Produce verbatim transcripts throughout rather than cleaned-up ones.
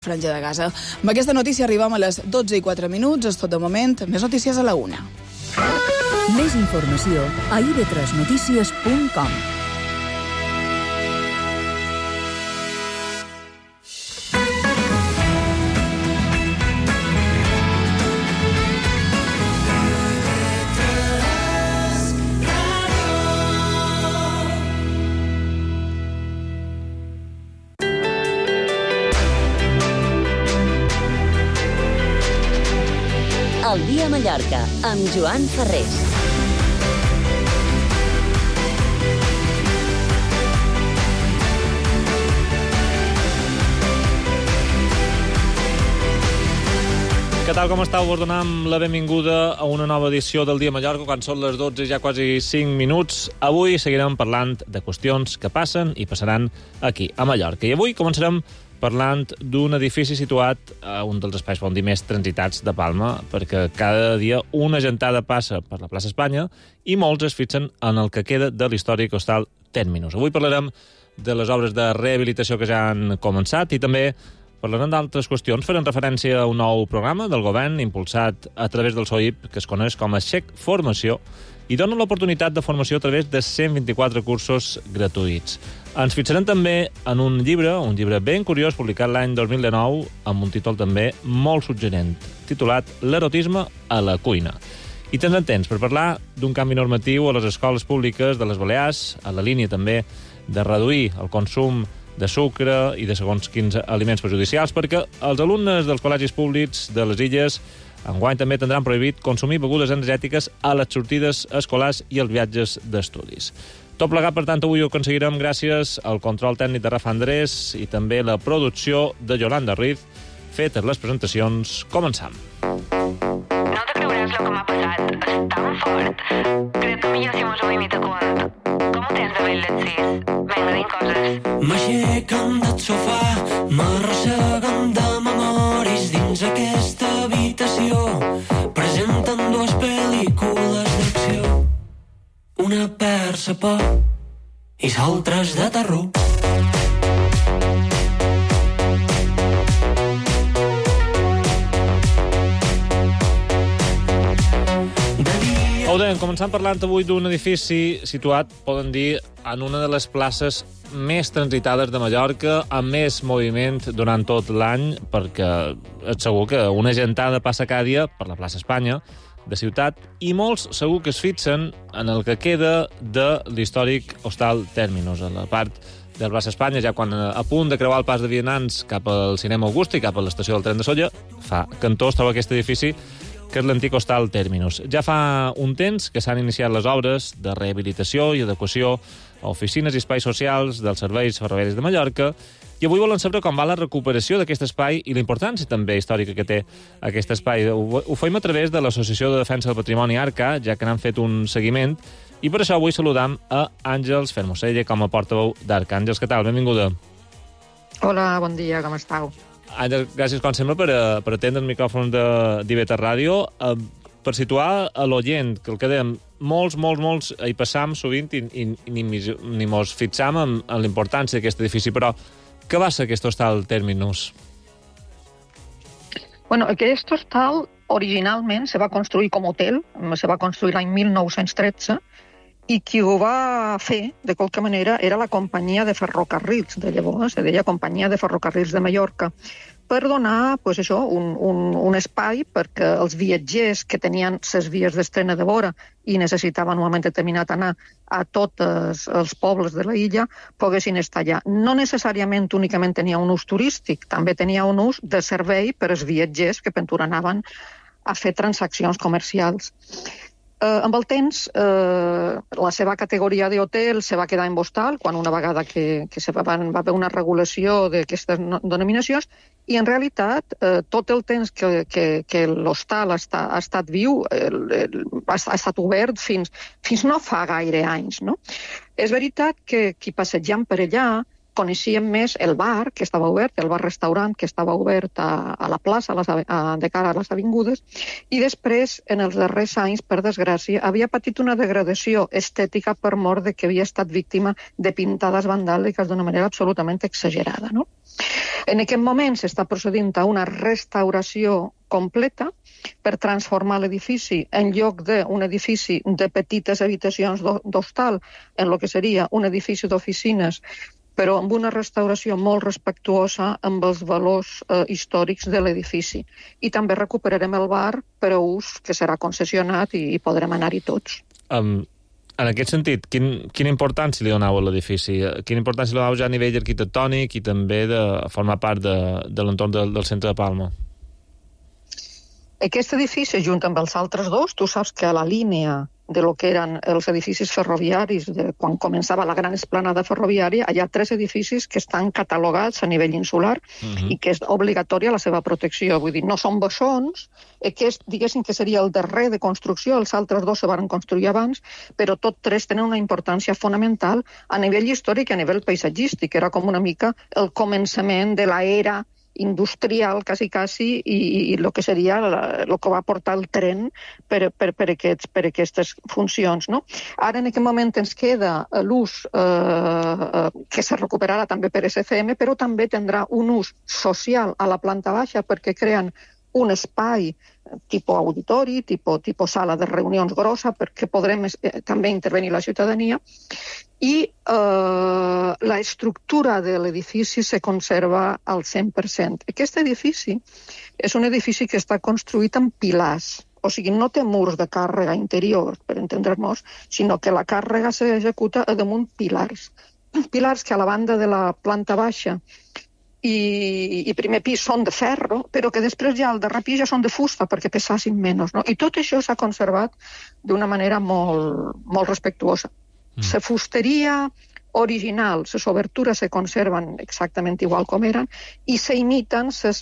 Franja de Gaza. Amb aquesta notícia arribem a les dotze i quatre minuts. És tot de moment. Més notícies a la una. Més informació a i ve tres notícies punt com. El dia a Mallorca, amb Joan Ferrés. Què tal, com estàu? Vos donem la benvinguda a una nova edició del Dia a Mallorca, quan són les dotze i ja quasi cinc minuts. Avui seguirem parlant de qüestions que passen i passaran aquí, a Mallorca. I avui començarem parlant d'un edifici situat a un dels espais, podem dir, més transitats de Palma, perquè cada dia una gentada passa per la plaça Espanya i molts es fixen en el que queda de l'històric hostal Terminus. Avui parlarem de les obres de rehabilitació que ja han començat i també parlarem d'altres qüestions. Farem referència a un nou programa del govern impulsat a través del S O I P, que es coneix com a Xec Formació, i dona l'oportunitat de formació a través de cent vint-i-quatre cursos gratuïts. Ens fixarem també en un llibre, un llibre ben curiós, publicat l'any dos mil dinou, amb un títol també molt suggerent, titulat L'erotisme a la cuina. I tindrem temps per parlar d'un canvi normatiu a les escoles públiques de les Balears, a la línia també de reduir el consum de sucre i de segons quins aliments perjudicials, perquè els alumnes dels col·legis públics de les Illes enguany també tindran prohibit consumir begudes energètiques a les sortides escolars i els viatges d'estudis. Tot plegat, per tant, avui ho aconseguirem gràcies al control tècnic de Rafa Andrés i també la producció de Yolanda Ruiz. Fetes les presentacions, començam. No te creuràs lo que m'ha passat. És tan fort. Crec que millor si mos ho imita quan. Com ho tens de bé les sis? Vinga, dint coses. M'aixequen del sofà, m'arrosseguen de memoris dins aquesta habitació. Presenten dues pel·lícules d'acció. Una persa por i l'altres de terror. Ho deien, començant parlant avui d'un edifici situat, poden dir, en una de les places més transitades de Mallorca, amb més moviment durant tot l'any, perquè és segur que una gentada passa cada dia per la plaça Espanya, de ciutat, i molts segur que es fixen en el que queda de l'històric hostal Terminus, a la part de la plaça Espanya, ja quan a punt de creuar el pas de vianants cap al cinema Augusta i cap a l'estació del tren de Sóller, fa cantó es troba aquest edifici, que és l'antic hostal Terminus. Ja fa un temps que s'han iniciat les obres de rehabilitació i adequació a oficines i espais socials dels serveis ferroviaris de Mallorca, i avui volen saber com va la recuperació d'aquest espai i la importància també històrica que té aquest espai. Ho, ho fem a través de l'Associació de Defensa del Patrimoni Arca, ja que n'han fet un seguiment, i per això avui saludam a Àngels Fermosella com a portaveu d'Arca. Àngels, què tal? Benvinguda. Hola, bon dia, com estàu? Àngels, gràcies, com sempre, per, per atendre el micròfon de d'I V tres Ràdio. Uh, per situar a l'oient, que el que dèiem, molts, molts, molts hi passam sovint i, i, i ni, ni mos fixam en, en l'importància d'aquest edifici, però què va ser aquest hostal Terminus? Bueno, aquest hostal originalment se va construir com a hotel, se va construir l'any mil nou-cents tretze, i qui ho va fer, de qualque manera, era la companyia de ferrocarrils de llavors, se deia Companyia de Ferrocarrils de Mallorca, per donar pues, això, un, un, un espai perquè els viatgers que tenien les vies d'estrena de vora i necessitaven un moment determinat anar a tots els pobles de la illa poguessin estar allà. No necessàriament únicament tenia un ús turístic, també tenia un ús de servei per als viatgers que pentura anaven a fer transaccions comercials. Eh, amb el temps, eh, la seva categoria d'hotel se va quedar en hostal, quan una vegada que, que se va, va haver una regulació d'aquestes denominacions, i en realitat eh, tot el temps que, que, que l'hostal ha, estat, ha estat viu el, el, ha, ha estat obert fins, fins no fa gaire anys. No? És veritat que qui passejant per allà coneixíem més el bar, que estava obert, el bar-restaurant, que estava obert a, a la plaça, a les, a, de cara a les avingudes, i després, en els darrers anys, per desgràcia, havia patit una degradació estètica per mort de que havia estat víctima de pintades vandàliques d'una manera absolutament exagerada, no? En aquest moment s'està procedint a una restauració completa per transformar l'edifici en lloc d'un edifici de petites habitacions d'hostal en el que seria un edifici d'oficines, però amb una restauració molt respectuosa amb els valors eh, històrics de l'edifici. I també recuperarem el bar per a ús que serà concessionat i, i podrem anar-hi tots. Um, en aquest sentit, quin, quina importància li donau a l'edifici? Quina importància li donau ja a nivell arquitectònic i també de formar part de, de l'entorn del, del centre de Palma? Aquest edifici, junt amb els altres dos, tu saps que a la línia de lo que eren els edificis ferroviaris, de quan començava la gran esplanada ferroviària, hi ha tres edificis que estan catalogats a nivell insular uh-huh. i que és obligatòria la seva protecció. Vull dir, no són bessons, aquest, diguéssim que seria el darrer de construcció, els altres dos se van construir abans, però tots tres tenen una importància fonamental a nivell històric i a nivell paisatgístic. Era com una mica el començament de l'era industrial, quasi, quasi, i, i el que seria el que va portar el tren per, per, per, aquests, per aquestes funcions. No? Ara, en aquest moment, ens queda l'ús eh, que se recuperarà també per S C M, però també tindrà un ús social a la planta baixa perquè creen un espai tipus auditori, tipus, tipus sala de reunions grossa, perquè podrem eh, també intervenir la ciutadania, i eh, la estructura de l'edifici se conserva al cent per cent. Aquest edifici és un edifici que està construït amb pilars, o sigui, no té murs de càrrega interior, per entendre'ns, sinó que la càrrega s'executa a damunt pilars. Pilars que a la banda de la planta baixa i, i primer pis són de ferro, però que després ja al darrer pis ja són de fusta perquè pesassin menys. No? I tot això s'ha conservat d'una manera molt, molt respectuosa. Mm. La fusteria original, les obertures se conserven exactament igual com eren i s'imiten les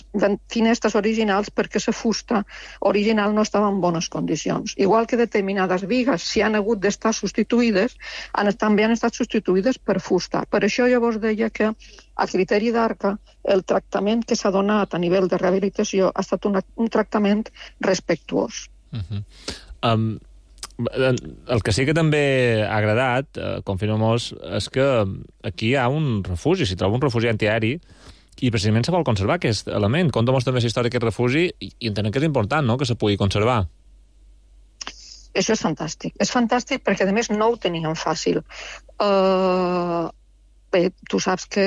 finestres originals perquè la fusta original no estava en bones condicions. Igual que determinades bigues, si han hagut d'estar substituïdes, han, també han estat substituïdes per fusta. Per això llavors deia que a criteri d'Arca el tractament que s'ha donat a nivell de rehabilitació ha estat un, un tractament respectuós. Uh-huh. Um... El que sí que també ha agradat, eh, confirma-mos, és que aquí hi ha un refugi, s'hi troba un refugi antiaeri, i precisament se vol conservar aquest element. Conta-mos també la història d'aquest refugi, i, i entenem que és important, no?, que se pugui conservar. Això és fantàstic. És fantàstic perquè, a més, no ho teníem fàcil. Uh, bé, tu saps que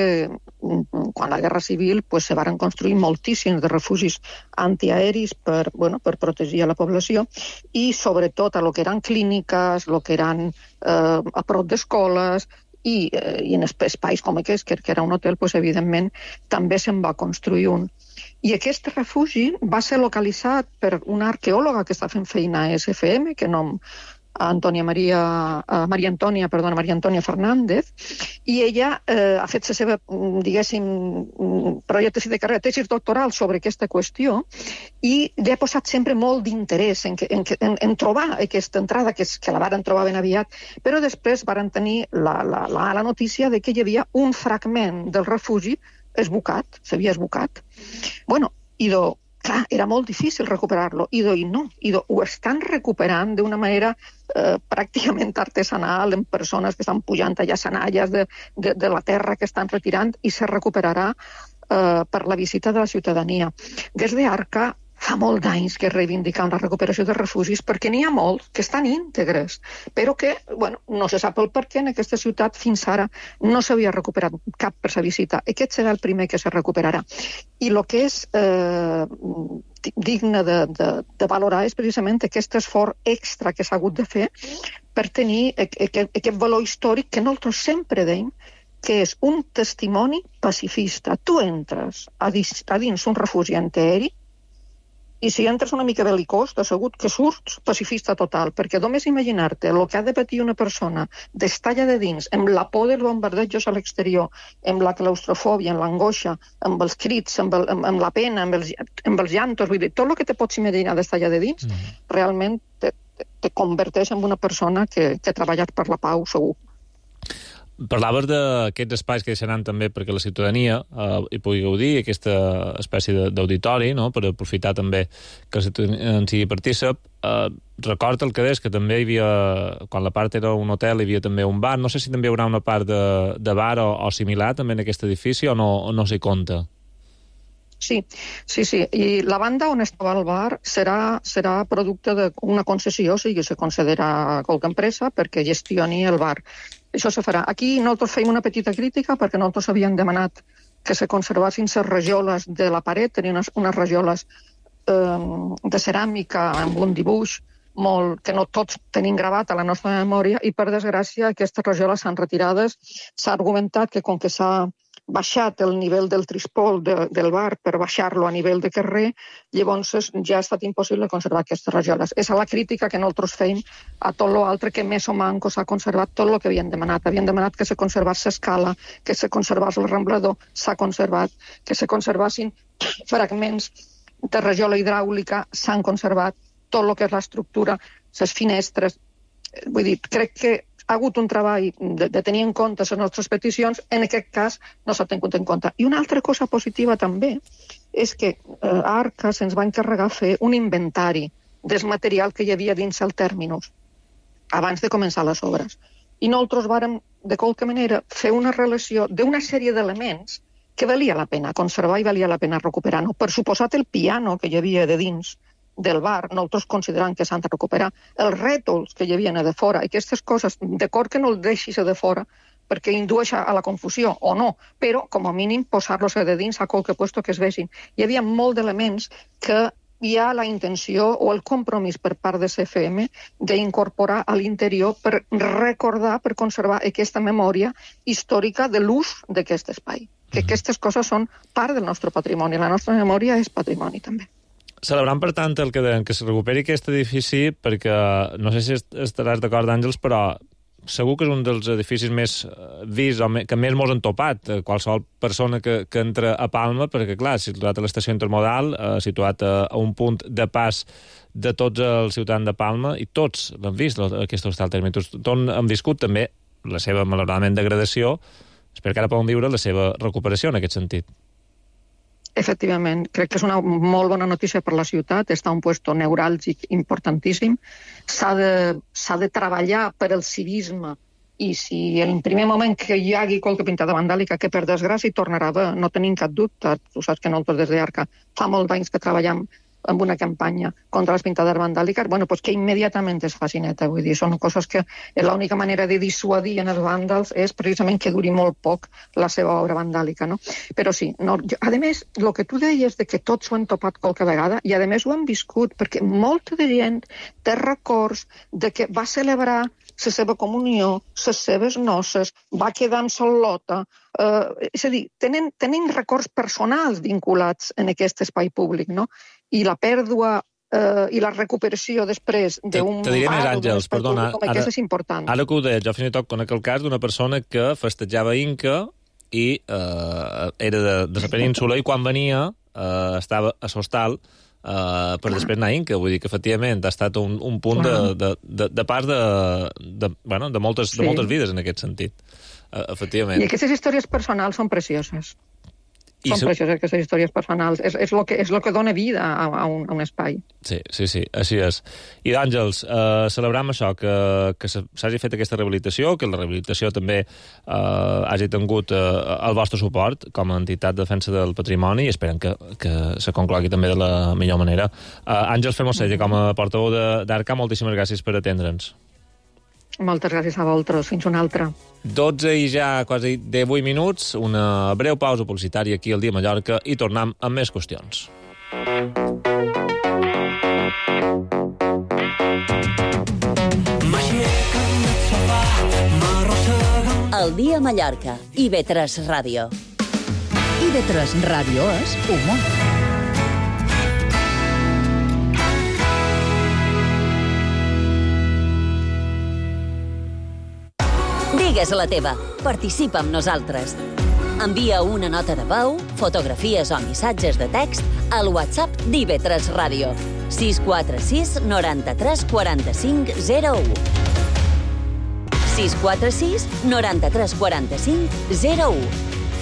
quan la Guerra Civil pues, se varen construir moltíssims de refugis antiaeris per, bueno, per protegir a la població i sobretot a lo que eren clíniques, lo que eren eh, a prop d'escoles i, eh, i en espais com aquest, que, que era un hotel, pues, evidentment també se'n va construir un. I aquest refugi va ser localitzat per una arqueòloga que està fent feina a S F M, que nom Antònia Maria, uh, Maria Antònia, perdona, Maria Antònia Fernández, i ella eh, ha fet la seva, diguéssim, projecte de carrera, tesis doctoral sobre aquesta qüestió i li ha posat sempre molt d'interès en, en, en, en trobar aquesta entrada, que, és, que la varen trobar ben aviat, però després varen tenir la, la, la, la notícia de que hi havia un fragment del refugi esbucat, s'havia esbucat. Bueno, i do, clar, era molt difícil recuperar-lo. I do, i no, i do, ho estan recuperant d'una manera eh, pràcticament artesanal, en persones que estan pujant allà senalles de, de, de la terra que estan retirant i se recuperarà eh, per la visita de la ciutadania. Des d'Arca fa molt d'anys que reivindiquen la recuperació de refugis perquè n'hi ha molts que estan íntegres, però que bueno, no se sap el per què en aquesta ciutat fins ara no s'havia recuperat cap per sa visita. Aquest serà el primer que se recuperarà. I el que és eh, digne de, de, de valorar és precisament aquest esforç extra que s'ha hagut de fer per tenir aquest, aquest valor històric que nosaltres sempre deim que és un testimoni pacifista. Tu entres a dins, a dins un refugi antiaeri i si entres una mica belicós, t'assegut que surts pacifista total, perquè només imaginar-te el que ha de patir una persona d'estar allà de dins, amb la por dels bombardejos a l'exterior, amb la claustrofòbia, amb l'angoixa, amb els crits, amb, el, amb, amb la pena, amb els, amb els llantos, vull dir, tot el que te pots imaginar d'estar allà de dins, mm. realment te, te, te converteix en una persona que, que ha treballat per la pau, segur. Parlaves d'aquests espais que deixaran també perquè la ciutadania eh, hi pugui gaudir, aquesta espècie d'auditori, no?, per aprofitar també que la ciutadania en sigui partícip. Eh, record el que deies, que també hi havia, quan la part era un hotel, hi havia també un bar. No sé si també hi haurà una part de, de bar o, o similar també en aquest edifici o no, o no s'hi compta. Sí, sí, sí. I la banda on estava el bar serà, serà producte d'una concessió, o sigui, se considera qualque empresa perquè gestioni el bar. Això se farà. Aquí nosaltres feim una petita crítica perquè nosaltres havíem demanat que se conservassin les rajoles de la paret, tenien unes, unes rajoles eh, de ceràmica amb un dibuix molt, que no tots tenim gravat a la nostra memòria, i per desgràcia aquestes rajoles s'han retirades. S'ha argumentat que com que s'ha baixat el nivell del trispol de, del bar per baixar-lo a nivell de carrer, llavors ja ha estat impossible conservar aquestes rajoles. És la crítica que nosaltres feim a tot l'altre que més o manco s'ha conservat tot el que havien demanat. Havien demanat que se conservés l'escala, que se conservés el ramblador, s'ha conservat, que se conservassin fragments de rajola hidràulica, s'han conservat, tot el que és l'estructura, les finestres. Vull dir, crec que ha hagut un treball de, de tenir en compte les nostres peticions, en aquest cas no s'ha tingut en compte. I una altra cosa positiva també és que eh, Arca se'ns va encarregar fer un inventari del material que hi havia dins el tèrminus abans de començar les obres. I nosaltres vàrem, de qualque manera, fer una relació d'una sèrie d'elements que valia la pena conservar i valia la pena recuperar. No? Per suposat, el piano que hi havia de dins del bar, nosaltres considerant que s'han de recuperar, els rètols que hi havia de fora, aquestes coses, d'acord que no els deixis de fora perquè indueix a la confusió, o no, però com a mínim posar-los de dins a qualque puesto que es vegin. Hi havia molt d'elements que hi ha la intenció o el compromís per part de C F M d'incorporar a l'interior per recordar, per conservar aquesta memòria històrica de l'ús d'aquest espai. Que aquestes coses són part del nostre patrimoni. La nostra memòria és patrimoni, també. Celebrant, per tant, el que deien, que es recuperi aquest edifici, perquè no sé si estaràs d'acord, Àngels, però segur que és un dels edificis més vists o que més mos han topat qualsevol persona que, que entra a Palma, perquè, clar, situat a l'estació intermodal, eh, situat a, a un punt de pas de tots els ciutadans de Palma, i tots l'han vist, aquest hostal tèrmic. Tots han viscut també la seva, malauradament, degradació. Espero que ara poden viure la seva recuperació en aquest sentit. Efectivament, crec que és una molt bona notícia per la ciutat, està un puesto neuràlgic importantíssim, s'ha de, s'ha de treballar per el civisme, i si en primer moment que hi hagi qualque pintada vandàlica, que per desgràcia tornarà a haver, no tenim cap dubte, tu saps que nosaltres des d'Arca fa molts anys que treballem amb una campanya contra les pintades vandàliques, bueno, pues que immediatament es faci neta, vull dir, són coses que l'única manera de dissuadir en els vàndals és precisament que duri molt poc la seva obra vandàlica, no? Però sí, no, jo, a més, el que tu deies de que tots ho han topat qualque vegada, i a més ho han viscut, perquè molta de gent té records de que va celebrar la seva comunió, les seves noces, va quedar amb sol·lota, eh, és a dir, tenen, tenen records personals vinculats en aquest espai públic, no? I la pèrdua eh, i la recuperació després d'un... Te diré més, Àngels, perdona, ara, és important. Ara que ho deia, jo fins i tot conec el cas d'una persona que festejava Inca i eh, era de, de la península, i quan venia eh, estava a l'hostal Uh, per després anar a Inca, vull dir que efectivament ha estat un, un punt de, de, de, de pas de, de, bueno, de, moltes, sí. de moltes vides en aquest sentit, uh, efectivament. I aquestes històries personals són precioses. I són so... precioses aquestes històries personals. És, és, lo que, és lo que dona vida a, a, un, a un espai. Sí, sí, sí, així és. I d'Àngels, eh, celebram això, que, que s'hagi fet aquesta rehabilitació, que la rehabilitació també eh, hagi tingut eh, el vostre suport com a entitat de defensa del patrimoni, i esperem que, que se conclogui també de la millor manera. Eh, Àngels Fermosella, com a portaveu d'Arca, moltíssimes gràcies per atendre'ns. Moltes gràcies a vosaltres. Fins una altra. dotze i ja quasi divuit minuts, una breu pausa publicitària aquí al Dia Mallorca i tornem amb més qüestions. El Dia Mallorca, I V tres Ràdio. I V tres Ràdio és humor. Digues la teva. Participa amb nosaltres. Envia una nota de veu, fotografies o missatges de text al WhatsApp d'I V tres Ràdio. sis quatre sis, noranta-tres, quaranta-cinc, zero u. sis quatre sis noranta-tres quaranta-cinc zero u.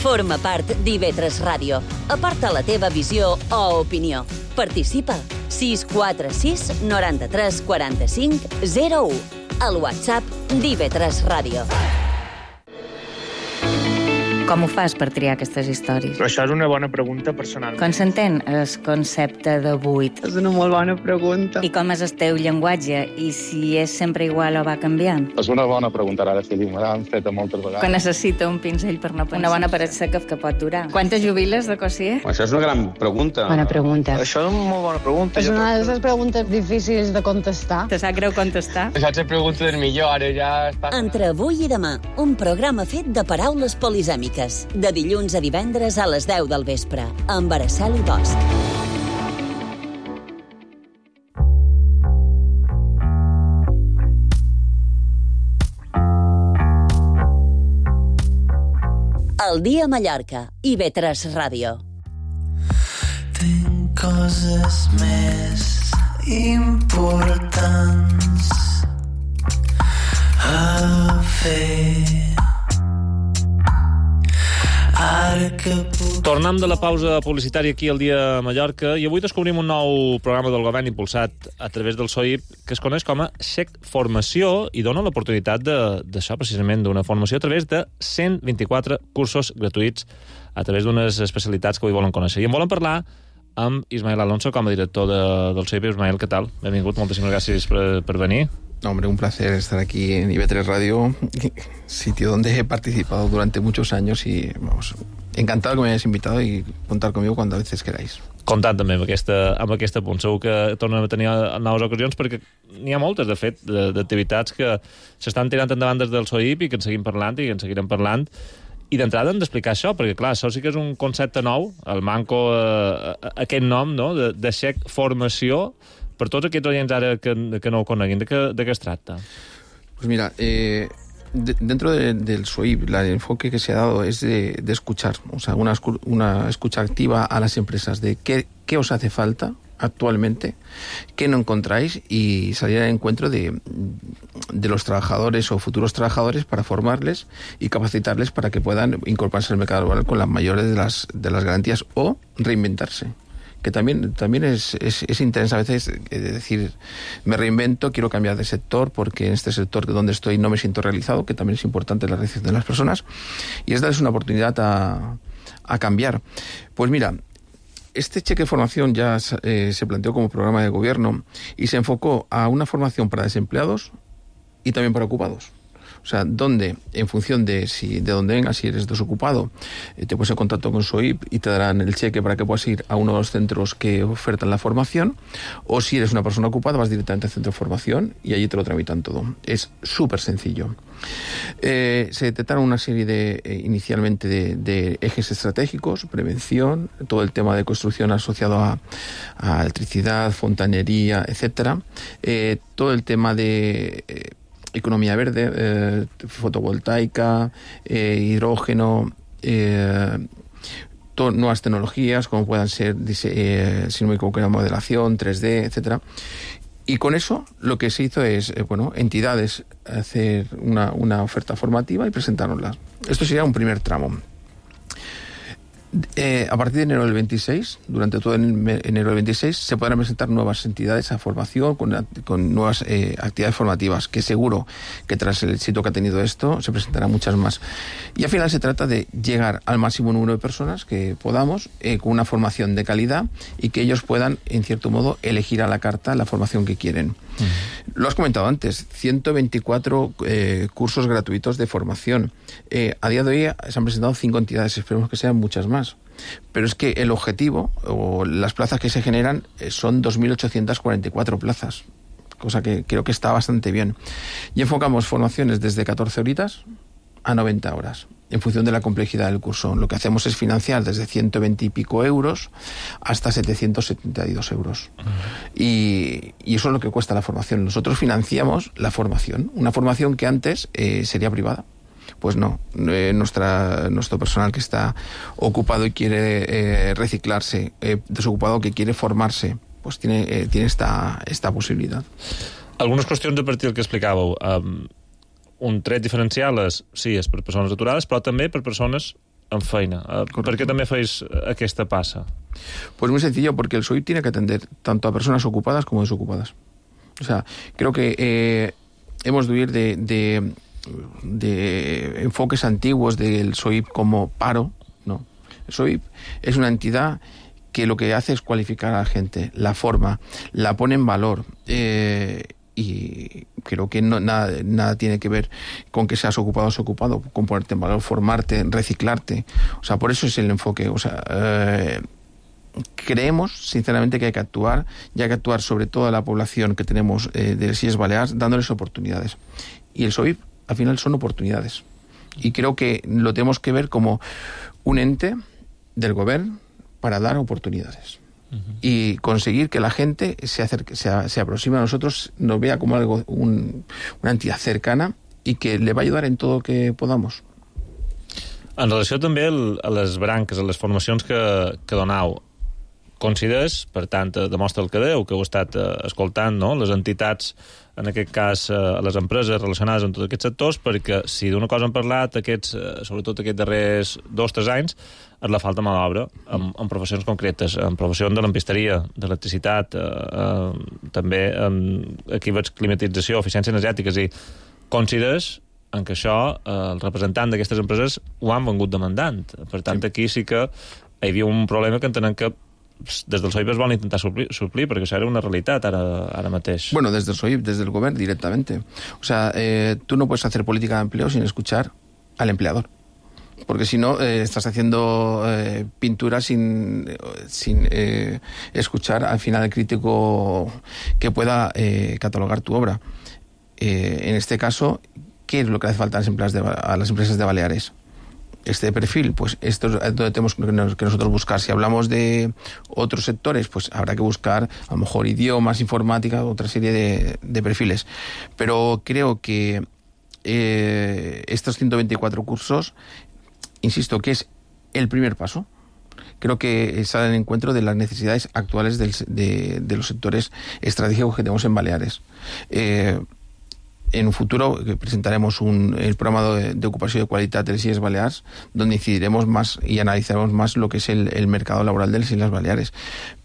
Forma part d'I V tres Ràdio. Aporta la teva visió o opinió. Participa. sis quatre sis noranta-tres quaranta-cinc zero u. Al WhatsApp d'I V tres Ràdio. Com ho fas per triar aquestes històries? Però això és una bona pregunta personal. Com s'entén el concepte de buit? És una molt bona pregunta. I com és el teu llenguatge? I si és sempre igual o va canviant? És una bona pregunta, ara sí, me l'han fet moltes vegades. Quan necessita un pinzell per no pensar. Una bona paret seca que pot durar. Quantes jubiles de Cossier? Això és una gran pregunta. Bona pregunta. Això és una molt bona pregunta. És una de les preguntes difícils de contestar. Te sap greu contestar? Això és la pregunta del millor, ara ja està... Entre avui i demà, un programa fet de paraules polisèmiques. De dilluns a divendres a les deu del vespre, amb Araceli Bosch. El dia a Mallorca, I V tres Ràdio. Tinc coses més importants a fer. Tornem de la pausa publicitària aquí al dia a Mallorca i avui descobrim un nou programa del govern impulsat a través del S O I P que es coneix com a Xec Formació i dona l'oportunitat d'això, precisament, d'una formació a través de cent vint-i-quatre cursos gratuïts a través d'unes especialitats que avui volen conèixer. I en volen parlar amb Ismael Alonso com a director de, del S O I P. Ismael, què tal? Benvingut, moltíssimes gràcies per, per venir. No, hombre, un placer estar aquí en I V tres Radio, sitio donde he participado durante muchos años y, vamos, encantado que me hayáis invitado y contar conmigo cuando a veces queráis. Comptant també amb aquesta, amb aquesta punt. Segur que tornem a tenir noves ocasions perquè n'hi ha moltes, de fet, d'activitats que s'estan tirant endavant des del S O I P i que en seguim parlant i que en seguirem parlant. I d'entrada hem d'explicar això, perquè, clar, això sí que és un concepte nou, el manco, eh, aquest nom, no?, de, de Xec Formació. Per tots aquests oients ara que, que no ho coneguin, de què, de què es tracta? Pues mira, eh, de, dentro de, del S O I P, el enfoque que se ha dado es de, de escuchar, o sea, una, una escucha activa a las empresas de qué, qué os hace falta actualmente, qué no encontráis y salir al encuentro de, de los trabajadores o futuros trabajadores para formarles y capacitarles para que puedan incorporarse al mercado laboral con las mayores de las, de las garantías o reinventarse. Que también, también es, es, es interesante a veces eh, decir, me reinvento, quiero cambiar de sector porque en este sector donde estoy no me siento realizado, que también es importante la realización de las personas, y es darles una oportunidad a, a cambiar. Pues mira, este cheque de formación ya eh, se planteó como programa de gobierno y se enfocó a una formación para desempleados y también para ocupados. O sea, donde, en función de si de dónde vengas, si eres desocupado, eh, te pones en contacto con S O I P y te darán el cheque para que puedas ir a uno de los centros que ofertan la formación, o si eres una persona ocupada, vas directamente al centro de formación y allí te lo tramitan todo. Es súper sencillo. Eh, se detectaron una serie de, eh, inicialmente, de, de ejes estratégicos, prevención, todo el tema de construcción asociado a, a electricidad, fontanería, etcétera, eh, todo el tema de... Eh, economía verde, eh, fotovoltaica, eh, hidrógeno, eh, to- nuevas tecnologías como puedan ser, eh, si no me equivoco, modelación, tres D, etcétera. Y con eso lo que se hizo es, eh, bueno, entidades hacer una, una oferta formativa y presentárnosla. Esto sería un primer tramo. Eh, a partir de enero del veintiséis, durante todo el enero del veintiséis, se podrán presentar nuevas entidades a formación con, con nuevas eh, actividades formativas, que seguro que tras el éxito que ha tenido esto se presentarán muchas más. Y al final se trata de llegar al máximo número de personas que podamos, eh, con una formación de calidad y que ellos puedan, en cierto modo, elegir a la carta la formación que quieren. Uh-huh. Lo has comentado antes, ciento veinticuatro eh, cursos gratuitos de formación. Eh, a día de hoy se han presentado cinco entidades, esperemos que sean muchas más. Pero es que el objetivo, o las plazas que se generan, son dos mil ochocientas cuarenta y cuatro plazas, cosa que creo que está bastante bien. Y enfocamos formaciones desde catorce horitas a noventa horas, en función de la complejidad del curso. Lo que hacemos es financiar desde ciento veinte y pico euros hasta setecientos setenta y dos euros. Uh-huh. Y, y eso es lo que cuesta la formación. Nosotros financiamos la formación, una formación que antes eh, sería privada. Pues no, eh, nuestra, nuestro personal que está ocupado y quiere eh, reciclarse, eh, desocupado que quiere formarse, pues tiene, eh, tiene esta, esta posibilitat. Algunes qüestions a partir del que explicàveu. Um, un tret diferencial és, sí, és per persones aturades, però també per persones en feina. Correcto. ¿Por qué también hacéis aquesta pasa? Pues muy sencillo, porque el S O I P tiene que atender tanto a personas ocupadas como desocupadas. O sea, creo que eh, hemos de huir de, de, de enfoques antiguos del S O I P como paro, ¿no? El S O I P es una entidad que lo que hace es cualificar a la gente, la forma, la pone en valor, eh, y creo que no, nada, nada tiene que ver con que seas ocupado o desocupado, con ponerte en valor, formarte, reciclarte. O sea, por eso es el enfoque. O sea, eh, creemos, sinceramente, que hay que actuar, y hay que actuar sobre toda la población que tenemos eh, de las Illes Balears, dándoles oportunidades. Y el S O I P, al final, son oportunidades. Y creo que lo tenemos que ver como un ente del gobierno para dar oportunidades. Uh-huh. Y conseguir que la gente se acerque, se, se aproxime a nosotros, nos vea como algo, un, una entidad cercana y que le va a ayudar en todo lo que podamos. En relació també a les branques, a les formacions que, que donau, consideres, per tant, demostra el que deu, que heu estat eh, escoltant, no?, les entitats, en aquest cas, eh, les empreses relacionades amb tots aquests sectors, perquè si d'una cosa hem parlat, aquests, eh, sobretot aquests darrers dos o tres anys, és la falta de mà d'obra en, en professions concretes, en professions de lampisteria, d'electricitat, eh, eh, també en, aquí veig climatització, eficiència energètica, i consideres en què això, eh, el representant d'aquestes empreses ho han vengut demandant. Per tant, aquí sí que hi havia un problema que entenem que des del S O I P es van intentar suplir, suplir perquè això era una realitat ara, ara mateix. Bueno, desde el S O I P, desde el gobierno directamente. O sea, eh, tú no puedes hacer política de empleo sin escuchar al empleador. Porque si no, eh, estás haciendo eh, pintura sin, sin eh, escuchar al final el crítico que pueda eh, catalogar tu obra. Eh, en este caso, ¿qué es lo que hace falta a las empresas de, a las empresas de Baleares? Este perfil, pues esto es donde tenemos que nosotros buscar. Si hablamos de otros sectores, pues habrá que buscar a lo mejor idiomas, informática, otra serie de, de perfiles. Pero creo que eh, estos ciento veinticuatro cursos, insisto, que es el primer paso. Creo que sale en encuentro de las necesidades actuales del, de, de los sectores estratégicos que tenemos en Baleares. Eh, En un futuro presentaremos un, el programa de, de ocupación de calidad de las Illes Balears, donde incidiremos más y analizaremos más lo que es el, el mercado laboral de las Islas Baleares.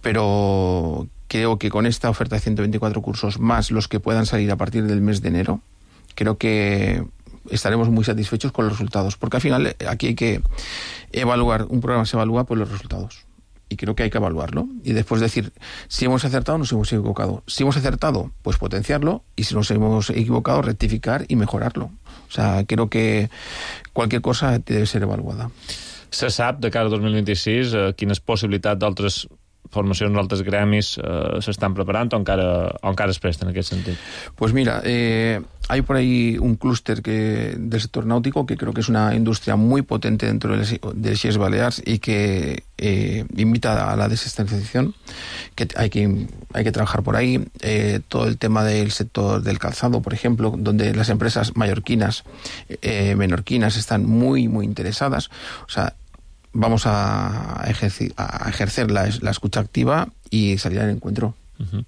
Pero creo que con esta oferta de ciento veinticuatro cursos, más los que puedan salir a partir del mes de enero, creo que estaremos muy satisfechos con los resultados. Porque al final aquí hay que evaluar, un programa se evalúa por los resultados. Y creo que hay que evaluarlo y después decir si hemos acertado o nos hemos equivocado. Si hemos acertado, pues potenciarlo, y si nos hemos equivocado, rectificar y mejorarlo. O sea, creo que cualquier cosa debe ser evaluada. Se sap, de cara al dos mil vint-i-sis, eh, quines possibilitats d'altres formacions, d'altres gremis eh, s'estan preparant o encara, o encara es presten en aquest sentit? Pues mira, eh, hay por ahí un clúster que, del sector náutico que creo que es una industria muy potente dentro de las Illes Balears y que eh, invita a la desestatización, que hay que, hay que trabajar por ahí. Eh, todo el tema del sector del calzado, por ejemplo, donde las empresas mallorquinas, eh, menorquinas están muy, muy interesadas. O sea, vamos a ejercer, a ejercer la, la escucha activa i salir a l'encuentro. Uh-huh.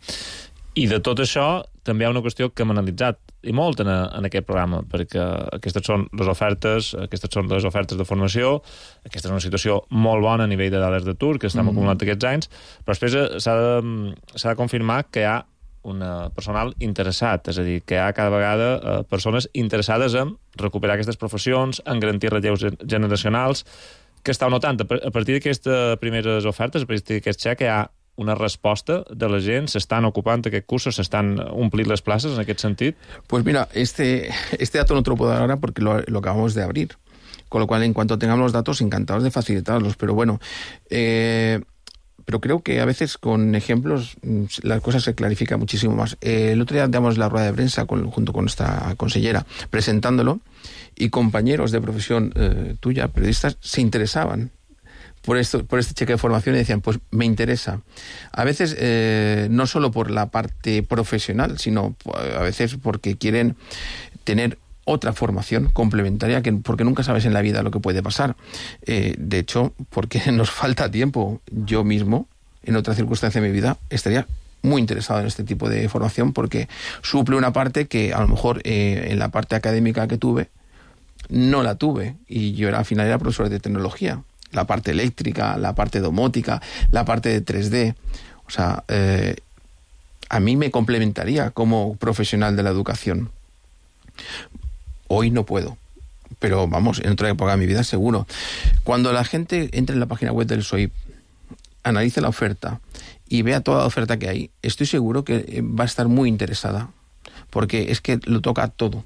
I de tot això també hi ha una qüestió que hem analitzat i molt en, a, en aquest programa, perquè aquestes són les ofertes, aquestes són les ofertes de formació, aquesta és una situació molt bona a nivell de dades d'atur que estem mm. acumulant aquests anys, però després s'ha de, s'ha de confirmar que hi ha un personal interessat, és a dir, que hi ha cada vegada eh, persones interessades en recuperar aquestes professions, en garantir relleus generacionals. Que estàu notant, a partir d'aquestes primeres ofertes, a partir d'aquest xec, hi ha una resposta de la gent, s'estan ocupant aquests cursos, s'estan omplint les places en aquest sentit? Pues mira, este, este dato no te lo puedo dar ahora porque lo, lo acabamos de abrir, con lo cual en cuanto tengamos los datos, encantados de facilitarlos, pero bueno, eh, pero creo que a veces con ejemplos las cosas se clarifican muchísimo más. Eh, el otro día damos la rueda de prensa con, junto con nuestra consellera, presentándolo, y compañeros de profesión eh, tuya, periodistas, se interesaban por esto, por este cheque de formación y decían, pues me interesa. A veces eh, no solo por la parte profesional, sino a veces porque quieren tener otra formación complementaria, que, porque nunca sabes en la vida lo que puede pasar. Eh, de hecho, porque nos falta tiempo. Yo mismo, en otra circunstancia de mi vida, estaría muy interesado en este tipo de formación porque suple una parte que a lo mejor eh, en la parte académica que tuve no la tuve, y yo era, al final era profesor de tecnología, la parte eléctrica, la parte domótica, la parte de tres D, o sea, eh, a mí me complementaría como profesional de la educación. Hoy no puedo, pero vamos, en otra época de mi vida seguro. Cuando la gente entre en la página web del S O I P, analice la oferta y vea toda la oferta que hay, estoy seguro que va a estar muy interesada, porque es que lo toca todo.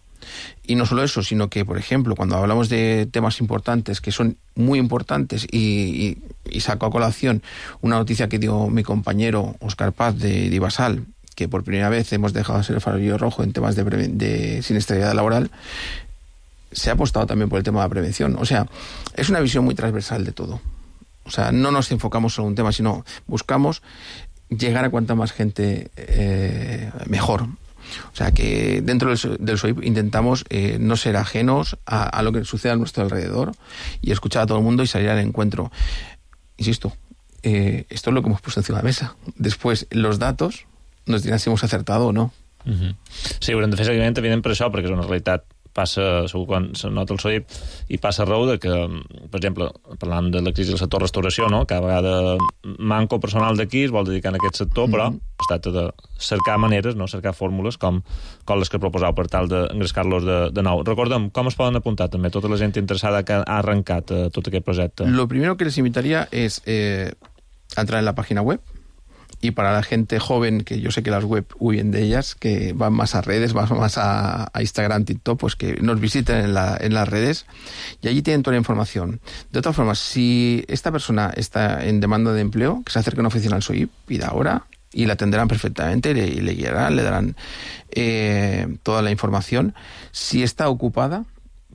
Y no solo eso, sino que, por ejemplo, cuando hablamos de temas importantes, que son muy importantes, y, y, y saco a colación una noticia que dio mi compañero Óscar Paz de, de Ibasal, que por primera vez hemos dejado de ser el farolillo rojo en temas de, de siniestralidad laboral, se ha apostado también por el tema de la prevención. O sea, es una visión muy transversal de todo. O sea, no nos enfocamos solo en un tema, sino buscamos llegar a cuanta más gente eh, mejor. O sea, que dentro del, del S O I P intentamos eh, no ser ajenos a, a lo que sucede a nuestro alrededor y escuchar a todo el mundo y salir al encuentro. Insisto, eh, esto es lo que hemos puesto encima de la mesa. Después, los datos nos dirán si hemos acertado o no. Uh-huh. Sí, haurem de fer seguiment, evident, per això, perquè és una realitat, passa, segur quan se nota el S O I P, i passa arreu de que, per exemple, parlant de la crisi del sector restauració, no? Cada vegada manco personal d'aquí es vol dedicar a aquest sector, però mm-hmm. es tracta de cercar maneres, no? Cercar fórmules com, com les que proposeu per tal d'engrescar-los de, de nou. Recordem, com es poden apuntar també tota la gent interessada que ha arrencat eh, tot aquest projecte? Lo primero que les invitaría es eh, entrar en la página web. Y para la gente joven, que yo sé que las web huyen de ellas, que van más a redes, van más a, a Instagram, TikTok, pues que nos visiten en, la, en las redes y allí tienen toda la información. De otra forma, si esta persona está en demanda de empleo, que se acerque a una oficina al S O I P, pida ahora y la atenderán perfectamente y le, y le guiarán, le darán eh, toda la información. Si está ocupada,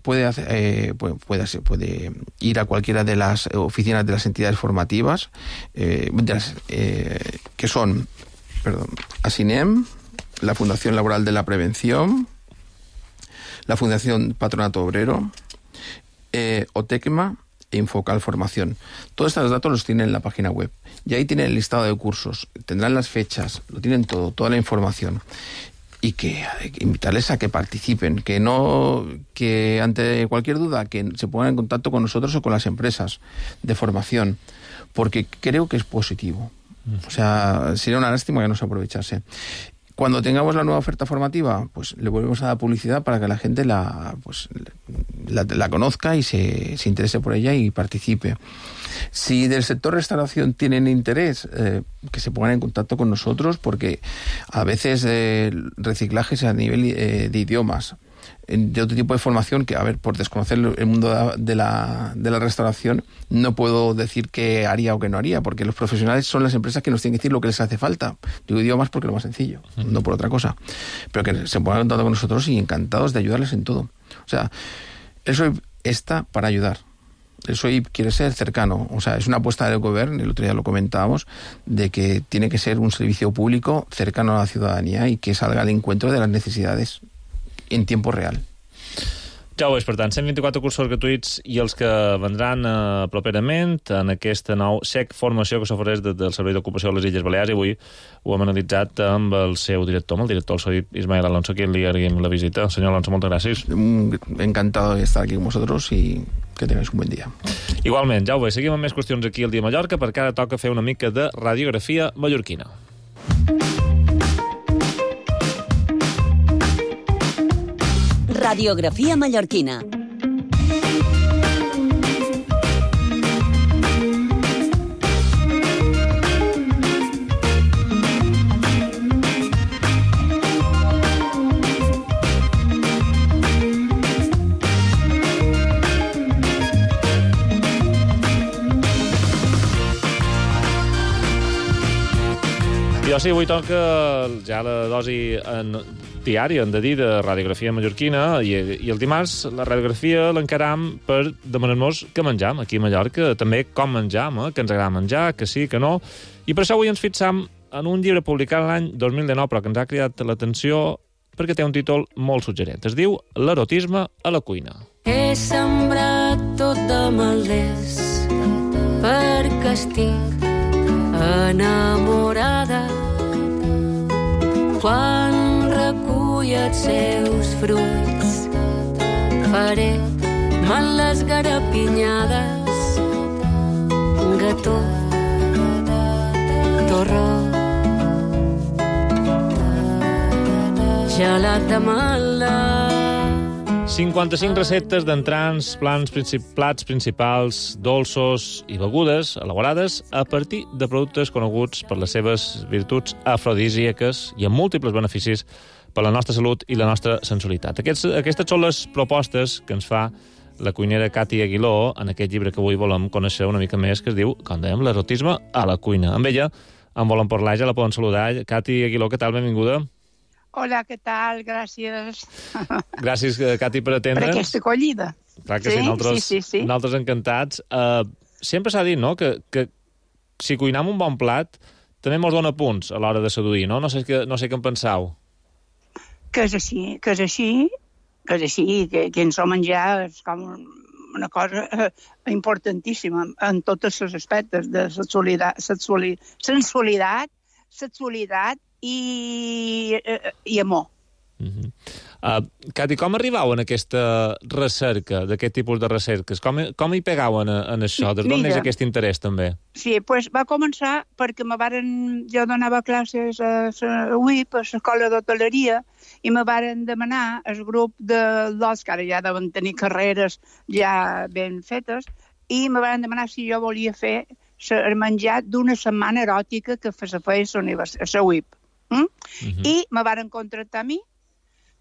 Puede, hacer, eh, puede, puede, puede ir a cualquiera de las oficinas de las entidades formativas, eh, de las, eh, que son perdón, ASINEM, la Fundación Laboral de la Prevención, la Fundación Patronato Obrero, eh, OTECMA e Infocal Formación. Todos estos datos los tienen en la página web. Y ahí tienen el listado de cursos, tendrán las fechas, lo tienen todo, toda la información. Y que, que invitarles a que participen, que no, que ante cualquier duda que se pongan en contacto con nosotros o con las empresas de formación, porque creo que es positivo. O sea, sería una lástima que no se aprovechase. Cuando tengamos la nueva oferta formativa, pues le volvemos a dar publicidad para que la gente la, pues, la, la conozca y se, se interese por ella y participe. Si del sector restauración tienen interés, eh, que se pongan en contacto con nosotros, porque a veces eh, reciclajes a nivel eh, de idiomas, de otro tipo de formación que, a ver, por desconocer el mundo de la, de la restauración, no puedo decir qué haría o qué no haría, porque los profesionales son las empresas que nos tienen que decir lo que les hace falta. Digo idiomas porque es lo más sencillo, uh-huh. no por otra cosa. Pero que se pongan en contacto con nosotros y encantados de ayudarles en todo. O sea, el S O I P está para ayudar. El S O I P quiere ser cercano. O sea, es una apuesta del gobierno, el otro día lo comentábamos, de que tiene que ser un servicio público cercano a la ciudadanía y que salga al encuentro de las necesidades en tiempo real. Ja ho és, per tant, cent vint-i-quatre cursos gratuïts i els que vendran eh, properament en aquesta nou S E C formació que s'ofereix de, del Servei d'Ocupació de les Illes Balears, i avui ho hem analitzat amb el seu director, amb el director del S O I P, Ismael Alonso, que li agraïm la visita. Senyor Alonso, moltes gràcies. Encantado de estar aquí con vosotros y que tengáis un buen día. Igualment, ja ho veig, seguim amb més qüestions aquí al Dia Mallorca, perquè ara toca fer una mica de radiografia mallorquina. Radiografia mallorquina. Jo sí, avui toca ja la dosi en diària, hem de dir, de radiografia mallorquina, i, i el dimarts la radiografia l'encaram per demanar-nos què menjam aquí a Mallorca, també com menjam, eh? Que ens agrada menjar, que sí, que no. I per això avui ens fixam en un llibre publicat l'any dos mil dinou, però que ens ha cridat l'atenció perquè té un títol molt suggerent. Es diu L'erotisme a la cuina. He sembrat tot de malders perquè estic enamorada els seus fruits. Faré mal les garapinyades, gató, torró, gelat de mala. cinquanta-cinc receptes d'entrants, plans, princip plats principals, dolços i begudes elaborades a partir de productes coneguts per les seves virtuts afrodisíaques i amb múltiples beneficis per la nostra salut i la nostra sensualitat. Aquests, aquestes són les propostes que ens fa la cuinera Cati Aguiló en aquest llibre que avui volem conèixer una mica més, que es diu, com dèiem, l'erotisme a la cuina. Amb ella en volen parlar, ja la poden saludar. Cati Aguiló, què tal? Benvinguda. Hola, què tal? Gràcies. Gràcies, Cati, per atendre'ns. Per aquesta acollida. Clar que sí, sí, nosaltres, sí, sí, sí. nosaltres encantats. Uh, sempre s'ha dit, no?, que, que si cuinam un bon plat també mos dona punts a l'hora de seduir, no? No sé, que, no sé què en pensau. Que és així, que és així, que és així, que, que ens ho menjar és com una cosa eh, importantíssima en tots els aspectes de sexualitat, sexualitat, sensualitat, sexualitat i, eh, i amor. Uh-huh. uh, Cati, com arribau en aquesta recerca, d'aquest tipus de recerques? Com, com hi pegauen en, en això? Des d'on és aquest interès, també? Sí, doncs va començar perquè me varen, jo donava classes a la U I P, a l'escola d'hoteleria, i me varen demanar el grup de l'Os, que ara ja deuen tenir carreres ja ben fetes, i me varen demanar si jo volia fer el menjar d'una setmana eròtica que se feia a la U I P. Mm? Uh-huh. I me varen contractar a mi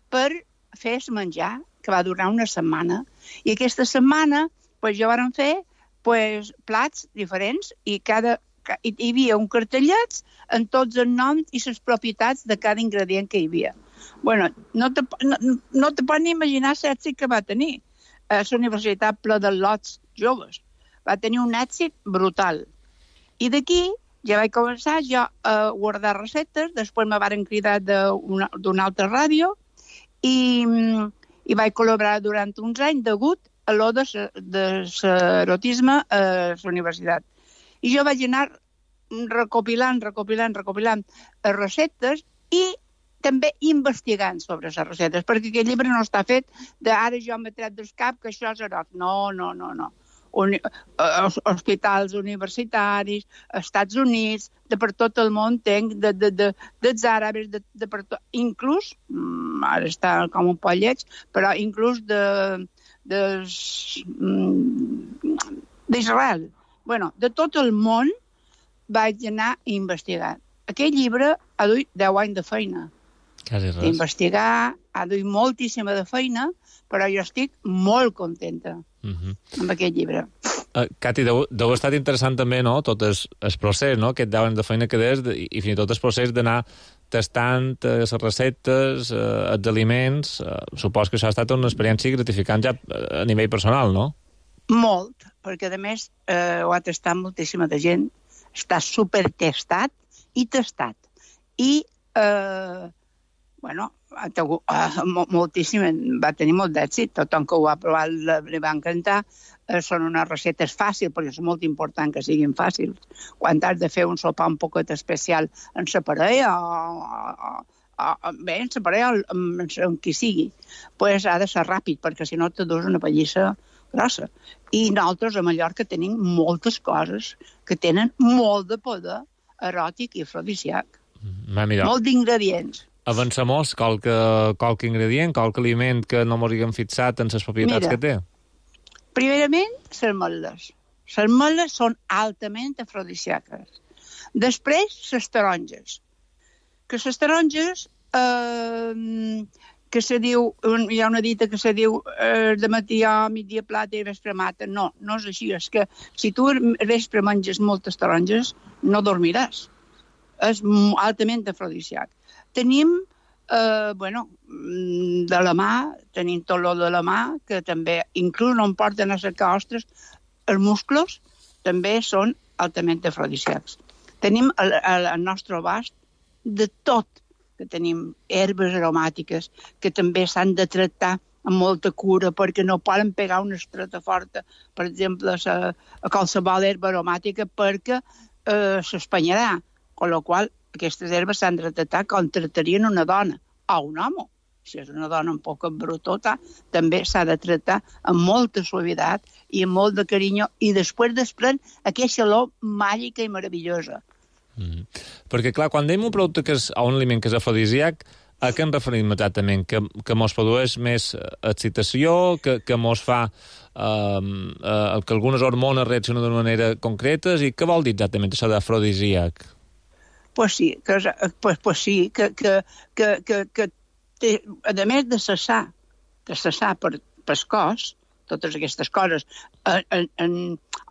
per fer el menjar, que va durar una setmana. I aquesta setmana pues, jo varen fer pues, plats diferents i cada, hi havia un cartellet amb tots els noms i les propietats de cada ingredient que hi havia. Bueno, no te, no, no te pots ni imaginar l'èxit que va tenir a la Universitat Pla de Lots Joves. Va tenir un èxit brutal. I d'aquí ja vaig començar jo a guardar receptes, després me varen cridar d'una altra ràdio i, i vaig col·laborar durant uns anys degut a l'o de l'erotisme a la universitat. I jo vaig anar recopilant, recopilant, recopilant receptes i també investigant sobre les receptes, perquè aquest llibre no està fet d'ara jo m'he tret del cap que això és eròtic. No, no, no, no. Uni hospitals universitaris, Estats Units, de per tot el món, tenc de, de, de, dels àrabs, de, de per tot, inclús, ara està com un poc lleig, però inclús de, de, d'Israel. Bueno, de tot el món vaig anar a investigar. Aquest llibre ha duit deu anys de feina. Quasi res. D'investigar, ha duit moltíssima de feina, però jo estic molt contenta uh-huh. amb aquest llibre. Uh, Cati, deu, deu ha estat interessant també, no?, tot el, el procés, no?, aquest deu anys de feina que des, i, i fins i tot el procés d'anar tastant uh, les receptes, uh, els aliments. Uh, supos que això ha estat una experiència gratificant ja a nivell personal, no? Molt, perquè a més eh, ho ha tastat moltíssima de gent, està supertestat i tastat. I, eh, bueno, moltíssim, va tenir molt d'èxit, tothom que ho ha provat li va encantar. Són unes receptes fàcils, perquè és molt important que siguin fàcils. Quan has de fer un sopar un poquet especial en la parella o, o, o bé, en la parella o en qui sigui, pues ha de ser ràpid, perquè si no te dus una pallissa grossa. I nosaltres a Mallorca tenim moltes coses que tenen molt de poder eròtic i afrodisíac. Molt d'ingredients. Avancem-nos, qualque, qualque ingredient, qualque aliment que no m'ho haguem fixat en les propietats Mira, que té? Primerament, les ametlles. Les ametlles són altament afrodisíaques. Després, les taronges. Que les taronges, eh, que se diu, hi ha una dita que se diu eh, de matí a migdia plata i vespre mata. No, no és així. És que si tu vespre menges moltes taronges, no dormiràs. És altament afrodisíac. Tenim, eh, bueno, de la mà, tenim tot l'ol de la mà, que també, inclús no em porten a cercar ostres, els musclos també són altament afrodisíacs. Tenim al, al nostre abast de tot, que tenim herbes aromàtiques, que també s'han de tractar amb molta cura, perquè no poden pegar una estreta forta, per exemple, a, a qualsevol herba aromàtica, perquè eh, s'espanyarà, amb la qual aquestes herbes s'han de tractar com tractarien una dona o un home. si és una dona un poc embrutota, també s'ha de tractar amb molta suavitat i amb molt de carinyo, i després desprèn aquesta olor màgica i meravellosa. Mm. Perquè, clar, quan dèiem un producte que és, o un aliment que és afrodisíac, a què ens referim exactament? Que, que mos produeix més excitació, que, que mos fa eh, eh, que algunes hormones reaccionen d'una manera concreta, i què vol dir exactament això d'afrodisíac? Pues sí, que, pues, pues sí, que, que, que, que, que té, a més de cessar, de cessar per, per cos, totes aquestes coses, en, en, en,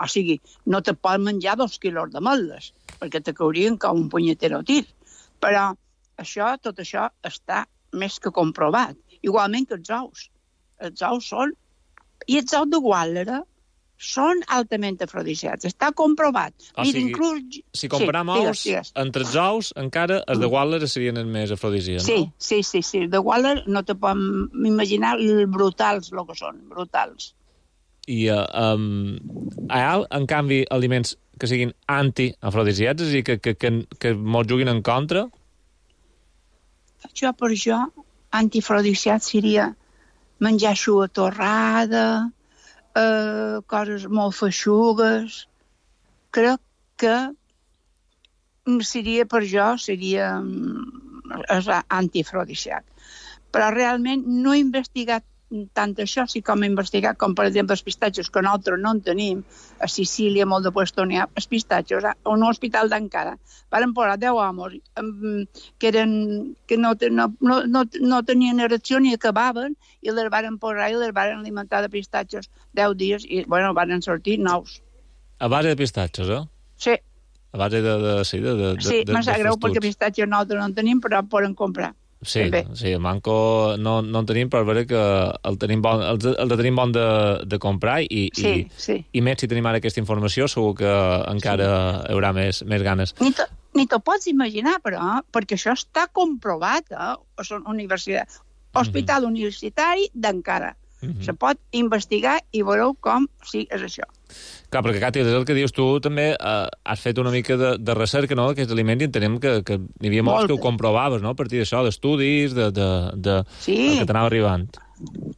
o sigui, no te pots menjar dos quilos de ametlles, perquè te caurien com un punyetero tir. Però això, tot això està més que comprovat. Igualment que els ous. Els ous són... I els ous de Guàlera són altament afrodisíacs. Està comprovat. O Mira, sigui, inclús... si comparam sí, ous, digues, digues. entre els ous, encara els de Guàlera serien els més afrodisíacs, sí, no? Sí, sí, sí. De Guàlera no te pots imaginar els brutals, el que són, brutals. I uh, um, hi ha, en canvi, aliments que siguin antiafrodisíacs, és a dir, que, que, que, que mos juguin en contra? Jo, per jo, antiafrodisíac seria menjar xuga torrada, eh, coses molt feixugues. Crec que seria, per jo, seria antiafrodisíac. Però realment no he investigat tant això, sí com he investigat, com per exemple els pistatxos, que nosaltres no en tenim, a Sicília, molt de puesto n'hi ha, els pistatxos, a un hospital d'Ankara, van posar deu homes que, eren, que no, no, no, no tenien erecció ni acabaven, i les van posar i les van alimentar de pistatxos deu dies, i bueno, van sortir nous. A base de pistatxos, eh? Sí. A base de... de sí, de, de, sí, me sap greu perquè pistatxos nosaltres no en tenim, però poden comprar. Sí, sí, el manco no, no en tenim, però és veritat que el, tenim bon, el, el tenim bon de, de comprar, i, sí, i, sí. i més si tenim ara aquesta informació, segur que encara sí. hi haurà més, més ganes. Ni te, ni te pots imaginar, però, perquè això està comprovat, eh? És una universitat, hospital mm-hmm. universitari d'Ankara. Mm-hmm. Se pot investigar i veureu com sí, és això. Clar, perquè, Cati, és el que dius tu, també eh, has fet una mica de, de recerca, no?, d'aquests aliments, i entenem que, que n'hi havia molts que ho comprovaves, no?, a partir d'això, d'estudis, de, de, de, sí. el que t'anava arribant.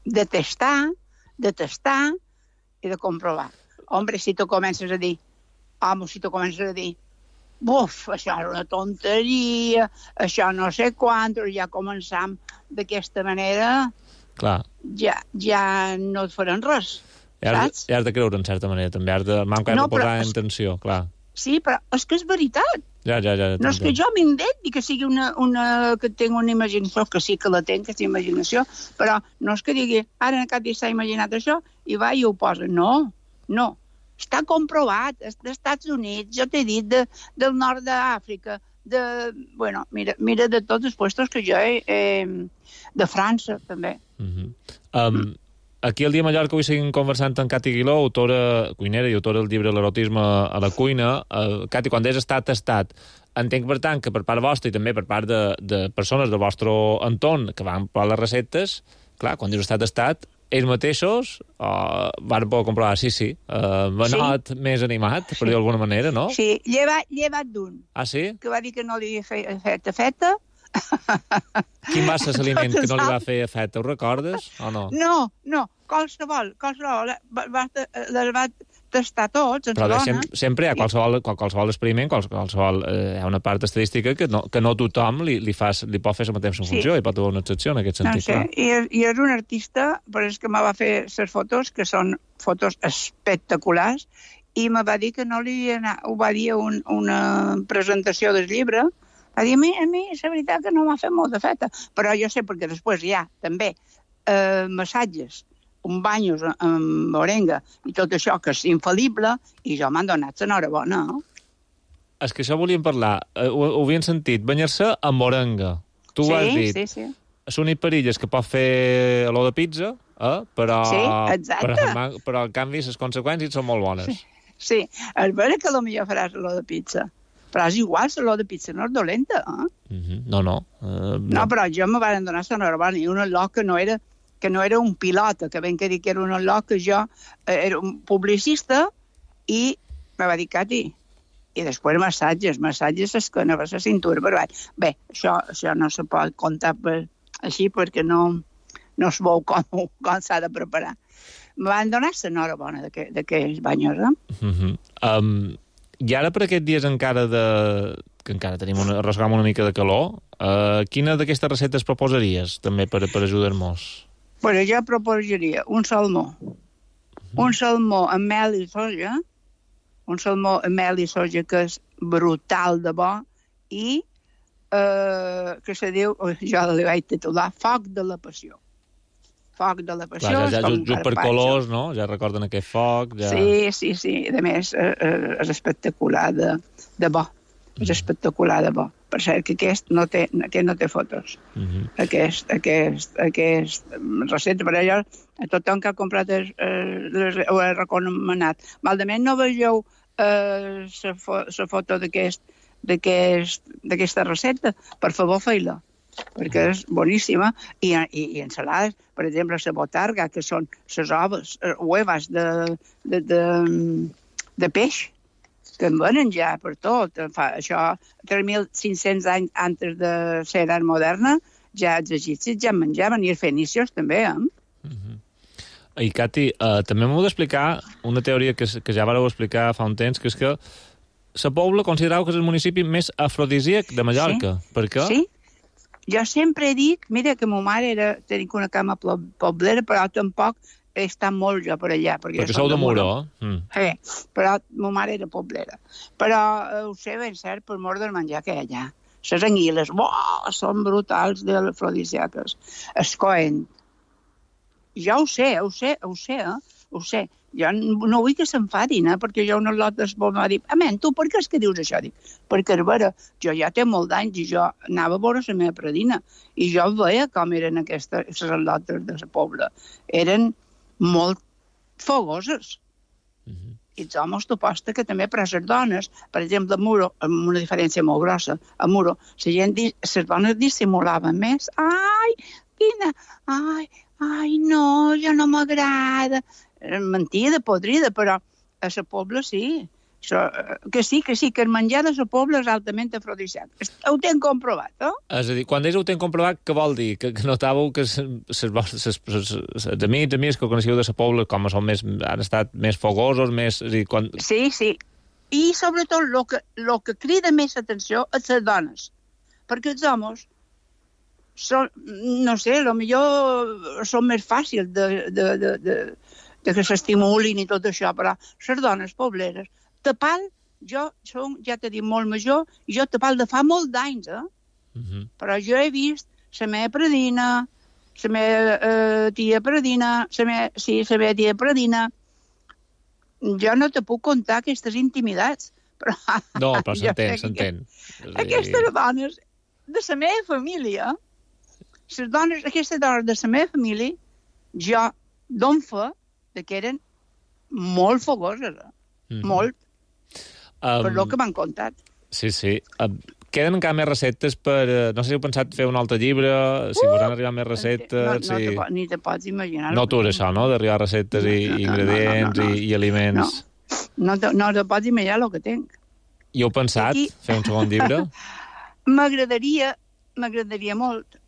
De testar, de testar i de comprovar. Hombre, si tu comences a dir, home, si tu comences a dir, buf, això és una tonteria, això no sé quant, ja començam d'aquesta manera, clar. Ja, ja no et faran res. I has, i has de creure, en certa manera, també. Has de, manco has no, de posar en tensió, clar. Sí, però és que és veritat. Ja, ja, ja. No és que jo m'indenti que sigui una, una... que tinc una imaginació, que sí que la tinc, aquesta imaginació, però no és que digui, ara en Cati s'ha imaginat això, i va i ho posa. No, no. Està comprovat, és dels Estats Units, jo t'he dit, de, del nord d'Àfrica, de... Bueno, mira, mira de tots els puestos que jo he... Eh, de França, també. Uh-huh. Um, mm. Aquí al Dia Mallorca avui seguim conversant amb Cati Guiló, autora cuinera i autora del llibre L'erotisme a la cuina. Uh, Cati, quan deies estat tastat, entenc, per tant, que per part vostra i també per part de, de persones del vostre entorn que van provar les receptes, clar, quan dius estat tastat, ells mateixos uh, van poder comprovar, sí, sí, uh, venot sí. més animat, per sí. dir d'alguna manera, no? Sí, llevat, llevat d'un. Ah, sí? Que va dir que no li havia fet feta. Quin va ser l'aliment que no li va fer efecte? Ho recordes o no? No, no, qualsevol, qualsevol. Les va tastar tots, en però dona. Sempre, sempre hi ha qualsevol, qualsevol experiment, qualsevol, eh, hi ha una part estadística que no, que no tothom li, li, fas, li pot fer la mateixa funció, sí. i pot haver una excepció en aquest sentit. No sé, i, i és un artista, però és que me va fer les fotos, que són fotos espectaculars, i me va dir que no li anava, ho va dir un, una presentació del llibre. Va dir, a mi, a mi, la veritat que no m'ha fet molt de feta. Però jo sé, perquè després hi ha també eh, massatges, un banyos amb morenga i tot això, que és infal·lible, i jo m'han donat l'enhorabona. És que això volíem parlar. Uh, ho, ho havien sentit. Banyar-se amb morenga. Tu sí, ho has dit. Sí, sí, sí. Són perilles que pot fer olor de pizza, eh? però, sí, exacte. però, però en canvi les conseqüències són molt bones. Sí, sí. És vera que potser faràs olor de pizza. Però és igual, l'olor de pizza no és dolenta, eh? Mm-hmm. No, no. Uh, no. No, però jo me van donar l'enhorabona, i un olor que no era, que no era un pilota, que ben que dir que era un olor que jo eh, era un publicista, i me va dir, Cati, i després massatges, massatges es que no va la cintura per baix. Bé, això, això no se pot comptar per, així perquè no, no es veu com, com s'ha de preparar. Me van donar l'enhorabona d'aquells banyos, eh? Uh -huh. um, I ara per aquests dies encara de... que encara tenim una, arrossegam una mica de calor, uh, quina d'aquestes receptes proposaries també per, per ajudar-nos? Bueno, jo proposaria un salmó. Uh -huh. Un salmó amb mel i soja, un salmó amb mel i soja que és brutal de bo, i eh, que se diu, jo li vaig titular, Foc de la Passió. Foc de la Passió. Clar, ja, ja, just per colors, no? Ja recorden aquest foc. Ja... Sí, sí, sí. A més, eh, és espectacular de, de bo. Mm. És espectacular de bo. Per cert, que aquest no té, aquest no té fotos. Mm -hmm. Aquest, aquest, aquest recepta, per allò, a tothom que ha comprat el, el, ho he recomanat. Malament no vegeu la eh, fo, foto d'aquest d'aquesta recepta, per favor, feu-la, perquè és boníssima. I, i, i ensalades, per exemple, la botarga, que són les oves, huevas de, de, de, de peix, que en venen ja per tot. Fa, això, tres mil cinc-cents anys antes de l'era moderna, ja els egipcis ja menjaven, i els fenicios també, eh? Mm-hmm. I, Cati, uh, també m'heu d'explicar una teoria que, que ja vareu explicar fa un temps, que és que la Pobla considerau que és el municipi més afrodisíac de Mallorca. Sí. Per què? Sí. Jo sempre dic, mira, que ma mare era, tenia una cama poblera, però tampoc he estat molt jo per allà. Perquè, perquè sou de Muro. Mm. Sí, però ma mare era poblera. Però eh, ho sé ben cert per mort del menjar que hi ha allà. Les anguiles, oh, són brutals de afrodisíaques. Es coen. Jo ho sé, ho sé, ho sé, eh? Ho sé. Jo no vull que s'enfadin, eh? Perquè jo una lot d'espol m'ha dit, amén, tu per què és que dius això? Dic, perquè, a veure, jo ja té molt d'anys i jo anava a veure la meva predina i jo veia com eren aquestes lotes de la Pobla. Eren molt fogoses. Mm-hmm. I els homes t'ho posta que també, però les dones, per exemple, a Muro, amb una diferència molt grossa, a Muro, la gent, les dones dissimulaven més. Ai, quina, ai, ai, no, jo no m'agrada. Mentida, podrida, però a la Pobla sí. So, que sí, que sí, que el menjar de la Pobla és altament afrodisíac. Ho tenen comprovat, no? És a dir, quan ells ho tenen comprovat, què vol dir? Que, que notàveu que els amics, amics que coneixeu de la Pobla, com són més, han estat més fogosos, més... És a dir, quan... Sí, sí. I sobretot el que, lo que crida més atenció és les dones. Perquè els homes són, no sé, potser són més fàcils de, de, de, de, de que s'estimulin i tot això, però les dones pobleres, tapal, jo som, ja t'he dit, molt major, i jo tapal de fa molt d'anys, eh? Uh-huh. Però jo he vist la meva predina, la meva eh, tia predina, la meva, sí, la meva tia predina. Jo no te puc contar aquestes intimitats, però... No, però s'entén, s'entén. Aquestes dones de la meva família, les dones, aquestes dones de la meva família, jo dono fe que eren molt fogoses, eh? Mm-hmm. Molt. Um, per el que m'han contat. Sí, sí. Um, queden encara més receptes per... Uh, no sé si heu pensat fer un altre llibre, si uh, vos han arribat més receptes... No, no si... te, ni te pots imaginar. No tu és això, no?, d'arribar receptes no, i no, ingredients no, no, no, no. I, i aliments. No, no, te, no te pots imaginar el que tenc. I heu pensat Aquí... fer un segon llibre? M'agradaria, m'agradaria molt.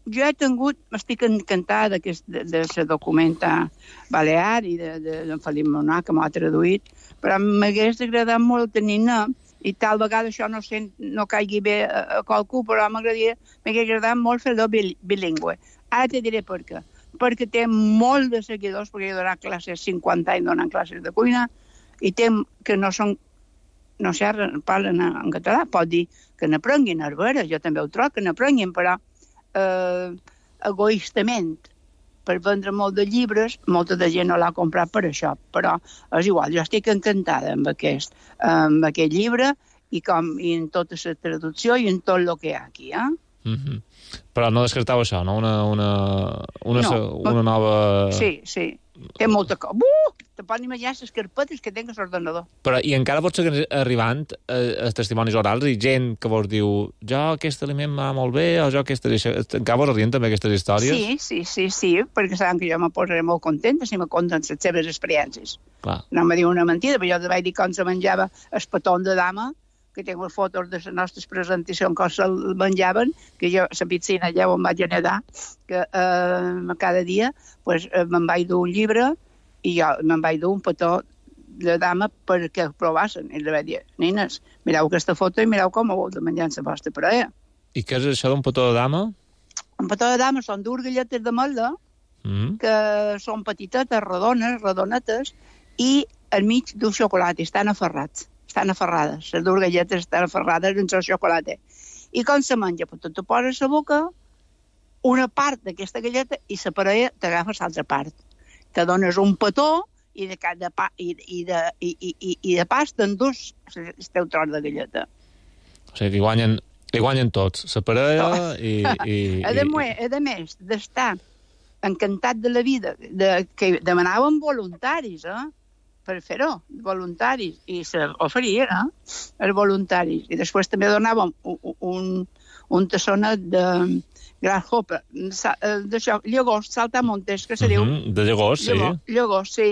Jo he tingut, estic encantada de, de, de la documenta balear i de, de, de Felip Monà, que m'ha traduït, però m'hagués agradat molt tenir-ne, i tal vegada això no, sent, no caigui bé a, a qualcú, però m'agradaria, m'hagués agradat molt fer-lo bilingüe. Ara te diré per què. Perquè té molt de seguidors, perquè he donat classes, cinquanta anys donant classes de cuina, i té que no són, no sé, parlen en català, pot dir que n'aprenguin a veure, jo també ho trobo, que n'aprenguin, però eh, egoistament, per vendre molt de llibres, molta de gent no l'ha comprat per això, però és igual, jo estic encantada amb aquest, amb aquest llibre i, com, i en tota la traducció i en tot el que hi ha aquí. Eh? Mm-hmm. Però no descartau això, no? Una, una, una, no, una nova... Sí, sí. Té molta cosa. Uh! Te pots imaginar les carpetes que tinc a l'ordenador. Però i encara pot seguir arribant eh, a testimonis orals i gent que vos diu jo aquest aliment m'ha molt bé o jo aquesta... Encara vos arriben també aquestes històries? Sí, sí, sí, sí, perquè saben que jo me posaré molt contenta si me conten les seves experiències. Clar. No me diu una mentida, però jo te vaig dir com se menjava el petó de dama, que tinc les fotos de les nostres presentacions quan se'l menjaven, que jo a la piscina ja on vaig nedar, que eh, cada dia pues, eh, me'n vaig dur un llibre i jo me'n vaig dur un petó de dama perquè ho provassen. I li vaig dir, nines, mireu aquesta foto i mireu com ho vol de menjar en la vostra parella. I què és això d'un petó de dama? Un petó de dama són dues galletes de melda, mm. que són petitetes, rodones, rodonetes, i al mig d'un xocolata, estan aferrats. Estan aferrades, les dues galletes estan aferrades en el xocolata. I com se menja? Pues tu te poses a la boca una part d'aquesta galleta i la parella t'agafes l'altra part. Te dones un petó i de, de, pa, i, i de, i, i, i de pas t'endús el teu tros de galleta. O sigui, que guanyen, li guanyen tots, la parella i... i, a, de, i... a més d'estar encantat de la vida, de, que demanàvem voluntaris, eh? per fer-ho, voluntaris, i s'oferien, eh? els voluntaris. I després també donàvem un, un, un tassonet de grasshopper, d'això, llagost, saltamontes, que se diu. Mm-hmm, de llagost, sí. Llagost, llagost, sí,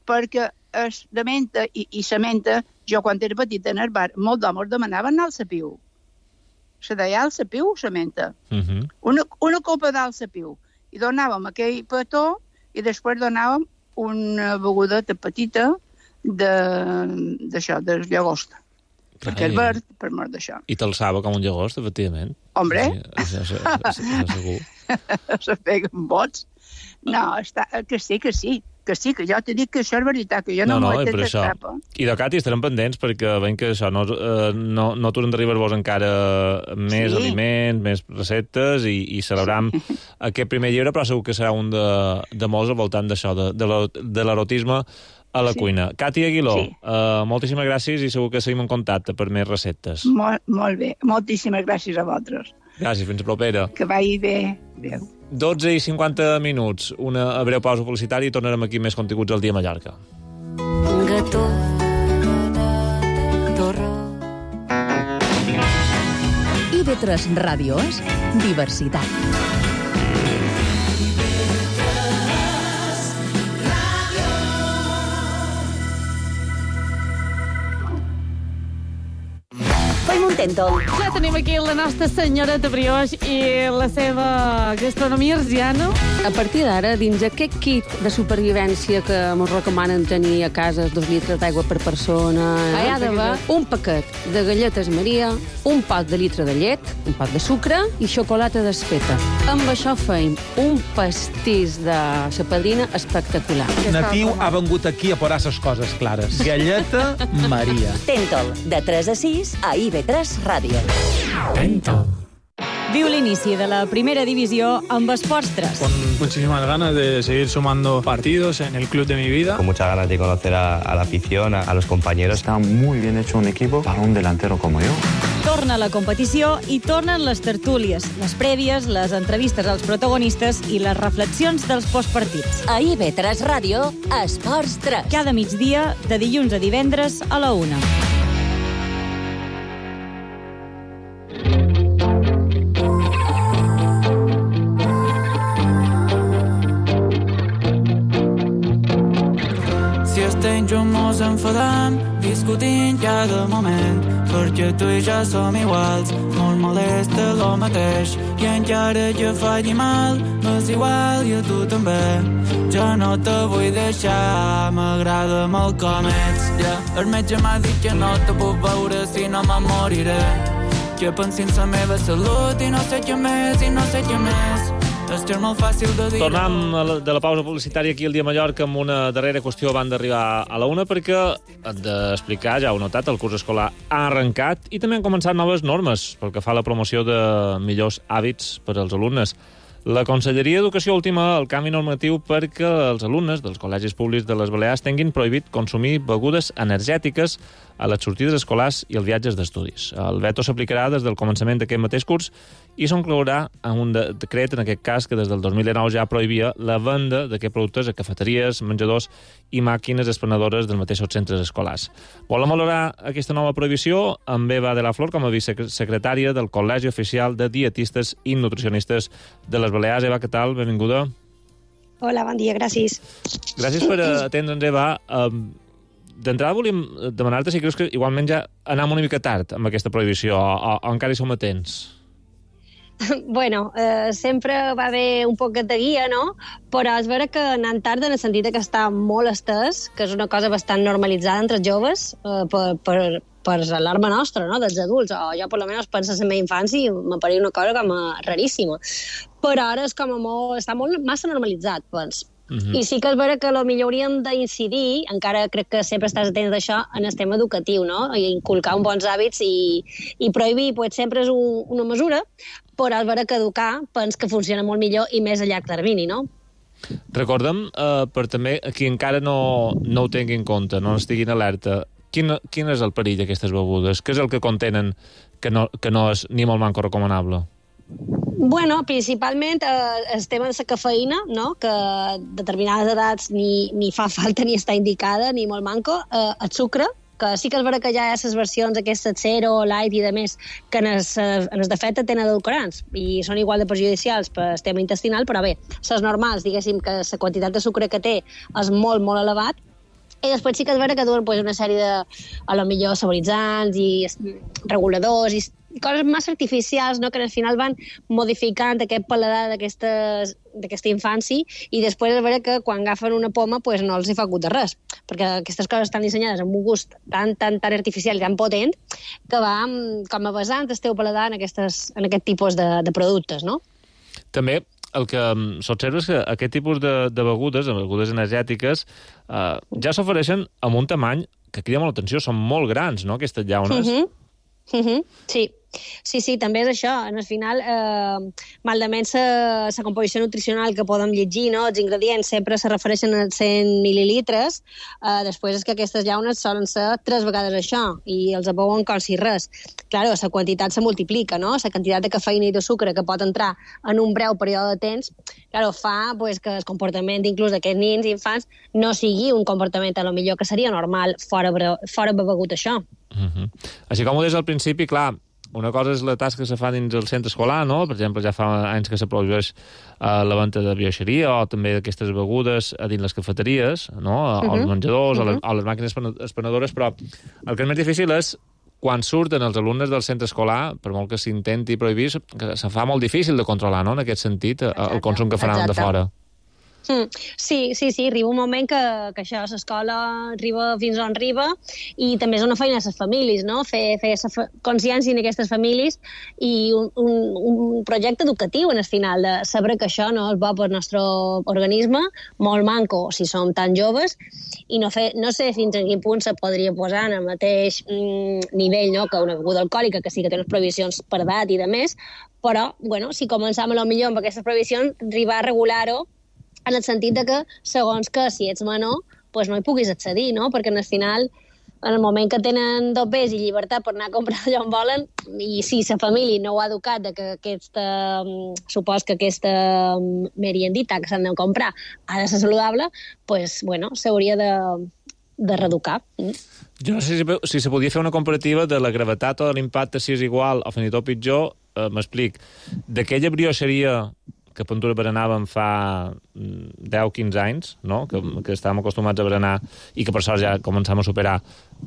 perquè es de menta i, i la menta, jo quan era petita en el bar, molts d'homes demanaven alçapiu. Se deia alçapiu, la menta. Mm-hmm. Una, una copa d'alçapiu. I donàvem aquell petó i després donàvem una beguda petita d'això, del llagost. Perquè és verd, per mort d'això. I t'alçava com un llagost, efectivament. Hombre! Això segur. Se peguen bots. No, està, que sí, que sí. Que sí, que jo t'he dit que això és veritat, que jo no, no m'ho he fet d'escapa. I de Cati estarem pendents perquè veiem que això no, no, no t'hauran d'arribar-vos encara més sí. aliments, més receptes i, i celebram sí. aquest primer llibre, però segur que serà un de, de molts al voltant d'això, de, de l'erotisme a la sí. cuina. Cati Aguiló, sí. uh, moltíssimes gràcies i segur que seguim en contacte per més receptes. Molt, molt bé, moltíssimes gràcies a vosaltres. Gràcies, fins a propera. Que vagi bé. Adéu. dotze i cinquanta minuts, una breu pausa publicitària i tornarem aquí més continguts al dia a Mallorca. Gató, torró. I ve tres Ràdio és diversitat. Tentol. Ja tenim aquí la nostra senyoreta brioix i la seva gastronomia arsiana. A partir d'ara, dins aquest kit de supervivència que ens recomanen tenir a casa dos litres d'aigua per persona, eh? hi ha d'haver un paquet de galletes Maria, un pot de litre de llet, un pot de sucre i xocolata desfeta. Amb això feim un pastís de sa padrina espectacular. Natiu ha vengut aquí a posar les coses clares. Galleta Maria. Tentol, de tres a sis a I V tres Ràdio. Tentol. Viu l'inici de la primera divisió amb Esports tres. Con muchísimas ganas de seguir sumando partidos en el club de mi vida. Con muchas ganas de conocer a, a la afición, a, a los compañeros. Está muy bien hecho un equipo para un delantero como yo. Torna la competició i tornen les tertúlies, les prèvies, les entrevistes als protagonistes i les reflexions dels postpartits. A I V tres Ràdio, Esports tres. Cada migdia, de dilluns a divendres a la una. Jo mos enfadam, discutint cada moment, perquè tu i jo som iguals, molt molesta lo mateix, i encara jo faci mal, m'és igual i a tu també. Jo no te vull deixar, m'agrada molt com ets, yeah. El metge m'ha dit que no te puc veure si no me moriré, que pensi en la meva salut i no sé què més, i no sé què més. Tornem de la pausa publicitària aquí al dia a Mallorca amb una darrera qüestió abans d'arribar a la una, perquè hem d'explicar, ja heu notat, el curs escolar ha arrencat i també han començat noves normes pel que fa a la promoció de millors hàbits per als alumnes. La Conselleria d'Educació ultima el canvi normatiu perquè els alumnes dels col·legis públics de les Balears tinguin prohibit consumir begudes energètiques a les sortides escolars i els viatges d'estudis. El veto s'aplicarà des del començament d'aquest mateix curs i s'inclourà en un decret, en aquest cas, que des del dos mil dinou ja prohibia la venda d'aquests productes a cafeteries, menjadors i màquines explanadores dels mateixos centres escolars. Volem valorar aquesta nova prohibició amb Eva de la Flor com a vicesecretària del Col·legi Oficial de Dietistes i Nutricionistes de les Balears. Eva, què tal? Benvinguda. Hola, bon dia, gràcies. Gràcies per atendre'ns, Eva. d'entrada volíem demanar-te si creus que igualment ja anem una mica tard amb aquesta prohibició, o, o, o encara hi som a temps. Bueno, eh, sempre va haver un poc de guia, no? Però és vera que anant tard en el sentit que està molt estès, que és una cosa bastant normalitzada entre els joves, eh, per, per, per l'alarma nostra, no?, dels adults. O jo, per almenys, penso en la meva infància i m'apareix una cosa com a raríssima. Però ara és com a molt, està molt massa normalitzat, doncs. Mm-hmm. I sí que és vera que potser hauríem d'incidir, encara crec que sempre estàs atent d'això, en el tema educatiu, no? I inculcar uns bons hàbits i, i prohibir, pues, sempre és un, una mesura, però és vera que educar pens que funciona molt millor i més a llarg termini, no? Recordem, eh, per també qui encara no, no ho tingui en compte, no estiguin alerta, quin, quin és el perill d'aquestes begudes? Què és el que contenen que no, que no és ni molt manco recomanable? Bueno, principalment eh, el tema de la cafeïna, no?, que a determinades edats ni, ni fa falta ni està indicada, ni molt manco, eh, el sucre, que sí que és vera que ja hi ha les versions aquestes zero, light i de més, que en els, en els defecte tenen edulcorants i són igual de perjudicials per al tema intestinal, però bé, les normals, diguéssim que la quantitat de sucre que té és molt, molt elevat, i després sí que és vera que duen pues, una sèrie de, a lo millor, saboritzants i reguladors i coses massa artificials, no?, que al final van modificant aquest paladar d'aquesta infància i després és vera que quan agafen una poma pues, no els hi fa gust de res, perquè aquestes coses estan dissenyades amb un gust tan, tan, tan artificial i tan potent que va com a vessant el teu paladar en, aquestes, en aquest tipus de, de productes, no? També el que s'observa és que aquest tipus de, de begudes, begudes energètiques, eh, ja s'ofereixen amb un tamany que crida molt l'atenció, són molt grans, no?, aquestes llaunes. Uh-huh. Uh-huh. Sí. Sí, sí, també és això. En el final, eh, malament la composició nutricional que podem llegir, no?, els ingredients sempre se refereixen a cent mil·lilitres, eh, després és que aquestes llaunes solen ser tres vegades això, i els abeuen com si res. Claro, la quantitat se multiplica, no?, la quantitat de cafeïna i de sucre que pot entrar en un breu període de temps, claro, fa pues, que el comportament inclús d'aquests nins i infants no sigui un comportament a lo millor que seria normal fora, fora begut això. Uh-huh. Així com ho deies al principi, clar, una cosa és la tasca que se fa dins el centre escolar, no? Per exemple, ja fa anys que se prohibeix uh, la venda de brioixeria o també d'aquestes begudes a dins les cafeteries, no? Uh-huh. Als menjadors, uh-huh. a, les, a les màquines espanadores, però el que és més difícil és quan surten els alumnes del centre escolar, per molt que s'intenti prohibir, que se fa molt difícil de controlar, no?, en aquest sentit, Exacte. el consum que faran Exacte. de fora. Mm. Sí, sí, sí, arriba un moment que, que això, l'escola arriba fins on arriba i també és una feina a les famílies, no?, fer, fer consciència en aquestes famílies i un, un, un projecte educatiu en el final, de saber que això no és bo per al nostre organisme, molt manco si som tan joves, i no, fer, no sé fins a quin punt se podria posar en el mateix mm, nivell, no?, que una beguda alcohòlica, que sí que té unes prohibicions per edat i de més, però, bueno, si començam a lo millor amb aquestes prohibicions, arribar a regular-ho en el sentit de que, segons que si ets menor, pues no hi puguis accedir, no? Perquè al final, en el moment que tenen dopers i llibertat per anar a comprar allò on volen, i si la família no ho ha educat de que aquesta, supos que aquesta meriendita que s'han de comprar ha de ser saludable, pues, bueno, s'hauria de, de reeducar. Jo no sé si, si se podia fer una comparativa de la gravetat o de l'impacte, si és igual o fins i tot pitjor, eh, m'explic. D'aquella brioixeria que a Puntura berenàvem fa deu a quinze anys, no?, que, que estàvem acostumats a berenar i que per sort ja començam a superar,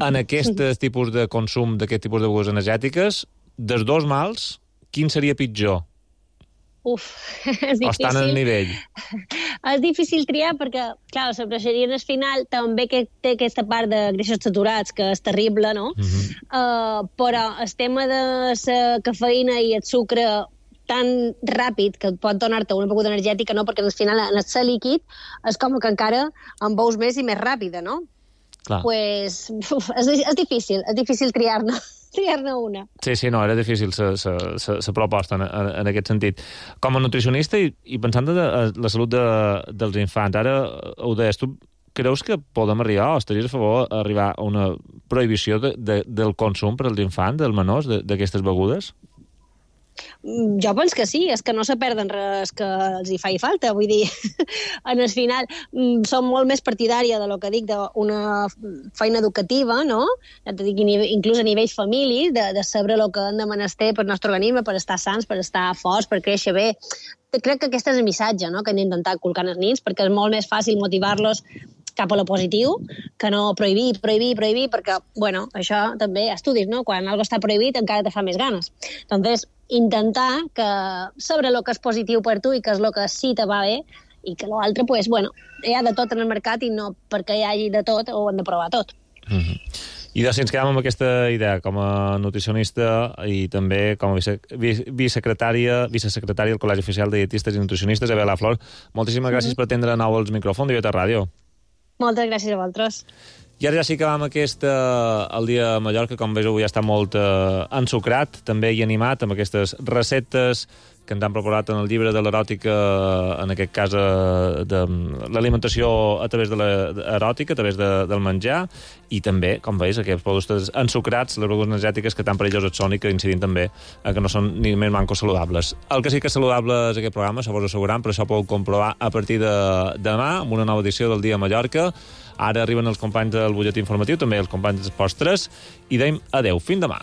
en aquest tipus de consum d'aquest tipus de begudes energètiques, dels dos mals, quin seria pitjor? Uf, és difícil. O estan al nivell? És difícil triar perquè, clar, la brioixeria al final també que té aquesta part de greixos saturats, que és terrible, no? Uh-huh. Uh, però el tema de la cafeïna i el sucre tan ràpid que pot donar-te una beguda energètica, no? Perquè al final en el ser líquid és com que encara en veus més i més ràpida, no? Clar. Pues, uf, és, és difícil, és difícil triar-ne triar-ne una. Sí, sí, no, era difícil la proposta en, en, en aquest sentit. Com a nutricionista i, i pensant en la salut de, dels infants, ara ho deies, tu creus que podem arribar, o estaries a favor d'arribar a una prohibició de, de, del consum per als infants, dels menors, d'aquestes begudes? Jo penso que sí, és que no se perden res que els hi faci falta, vull dir, en el final som molt més partidària de lo que dic d'una feina educativa, no? Ja te dic, inclús a nivell família, de, de saber el que hem de menester per al nostre organisme, per estar sants, per estar forts, per créixer bé. Crec que aquest és el missatge, no?, que hem d'intentar inculcar als nins, perquè és molt més fàcil motivar-los cap a lo positiu, que no prohibir, prohibir, prohibir, perquè, bueno, això també, estudis, no? Quan algo està prohibit encara te fa més ganes. Entonces, intentar que saber el que és positiu per tu i que és el que sí te va bé i que l'altre, pues, bueno, hi ha de tot en el mercat i no perquè hi hagi de tot ho hem de provar tot. Mm-hmm. I doncs, si ens quedem amb aquesta idea com a nutricionista i també com a vice, vicesecretària, vicesecretària del Col·legi Oficial de Dietistes i Nutricionistes, Abel Flor, moltíssimes gràcies mm-hmm. per atendre de nou els micròfons d'I V tres Ràdio. Moltes gràcies a vosaltres. I ara ja sí que vam aquest, eh, el dia a Mallorca, com veus, avui ja està molt eh, ensucrat, també i animat, amb aquestes receptes que ens han proposat en el llibre de l'eròtica, en aquest cas eh, de l'alimentació a través de l'eròtica, a través de, del menjar, i també, com veus, aquests productes ensucrats, les begudes energètiques que tan perilloses són i que incidint també eh, que no són ni més mancos saludables. El que sí que és saludable és aquest programa, s'ho vos asseguram, però això podeu comprovar a partir de demà, amb una nova edició del Dia a Mallorca. Ara arriben els companys del butlletí informatiu, també els companys dels postres, i deim adeu, fins demà.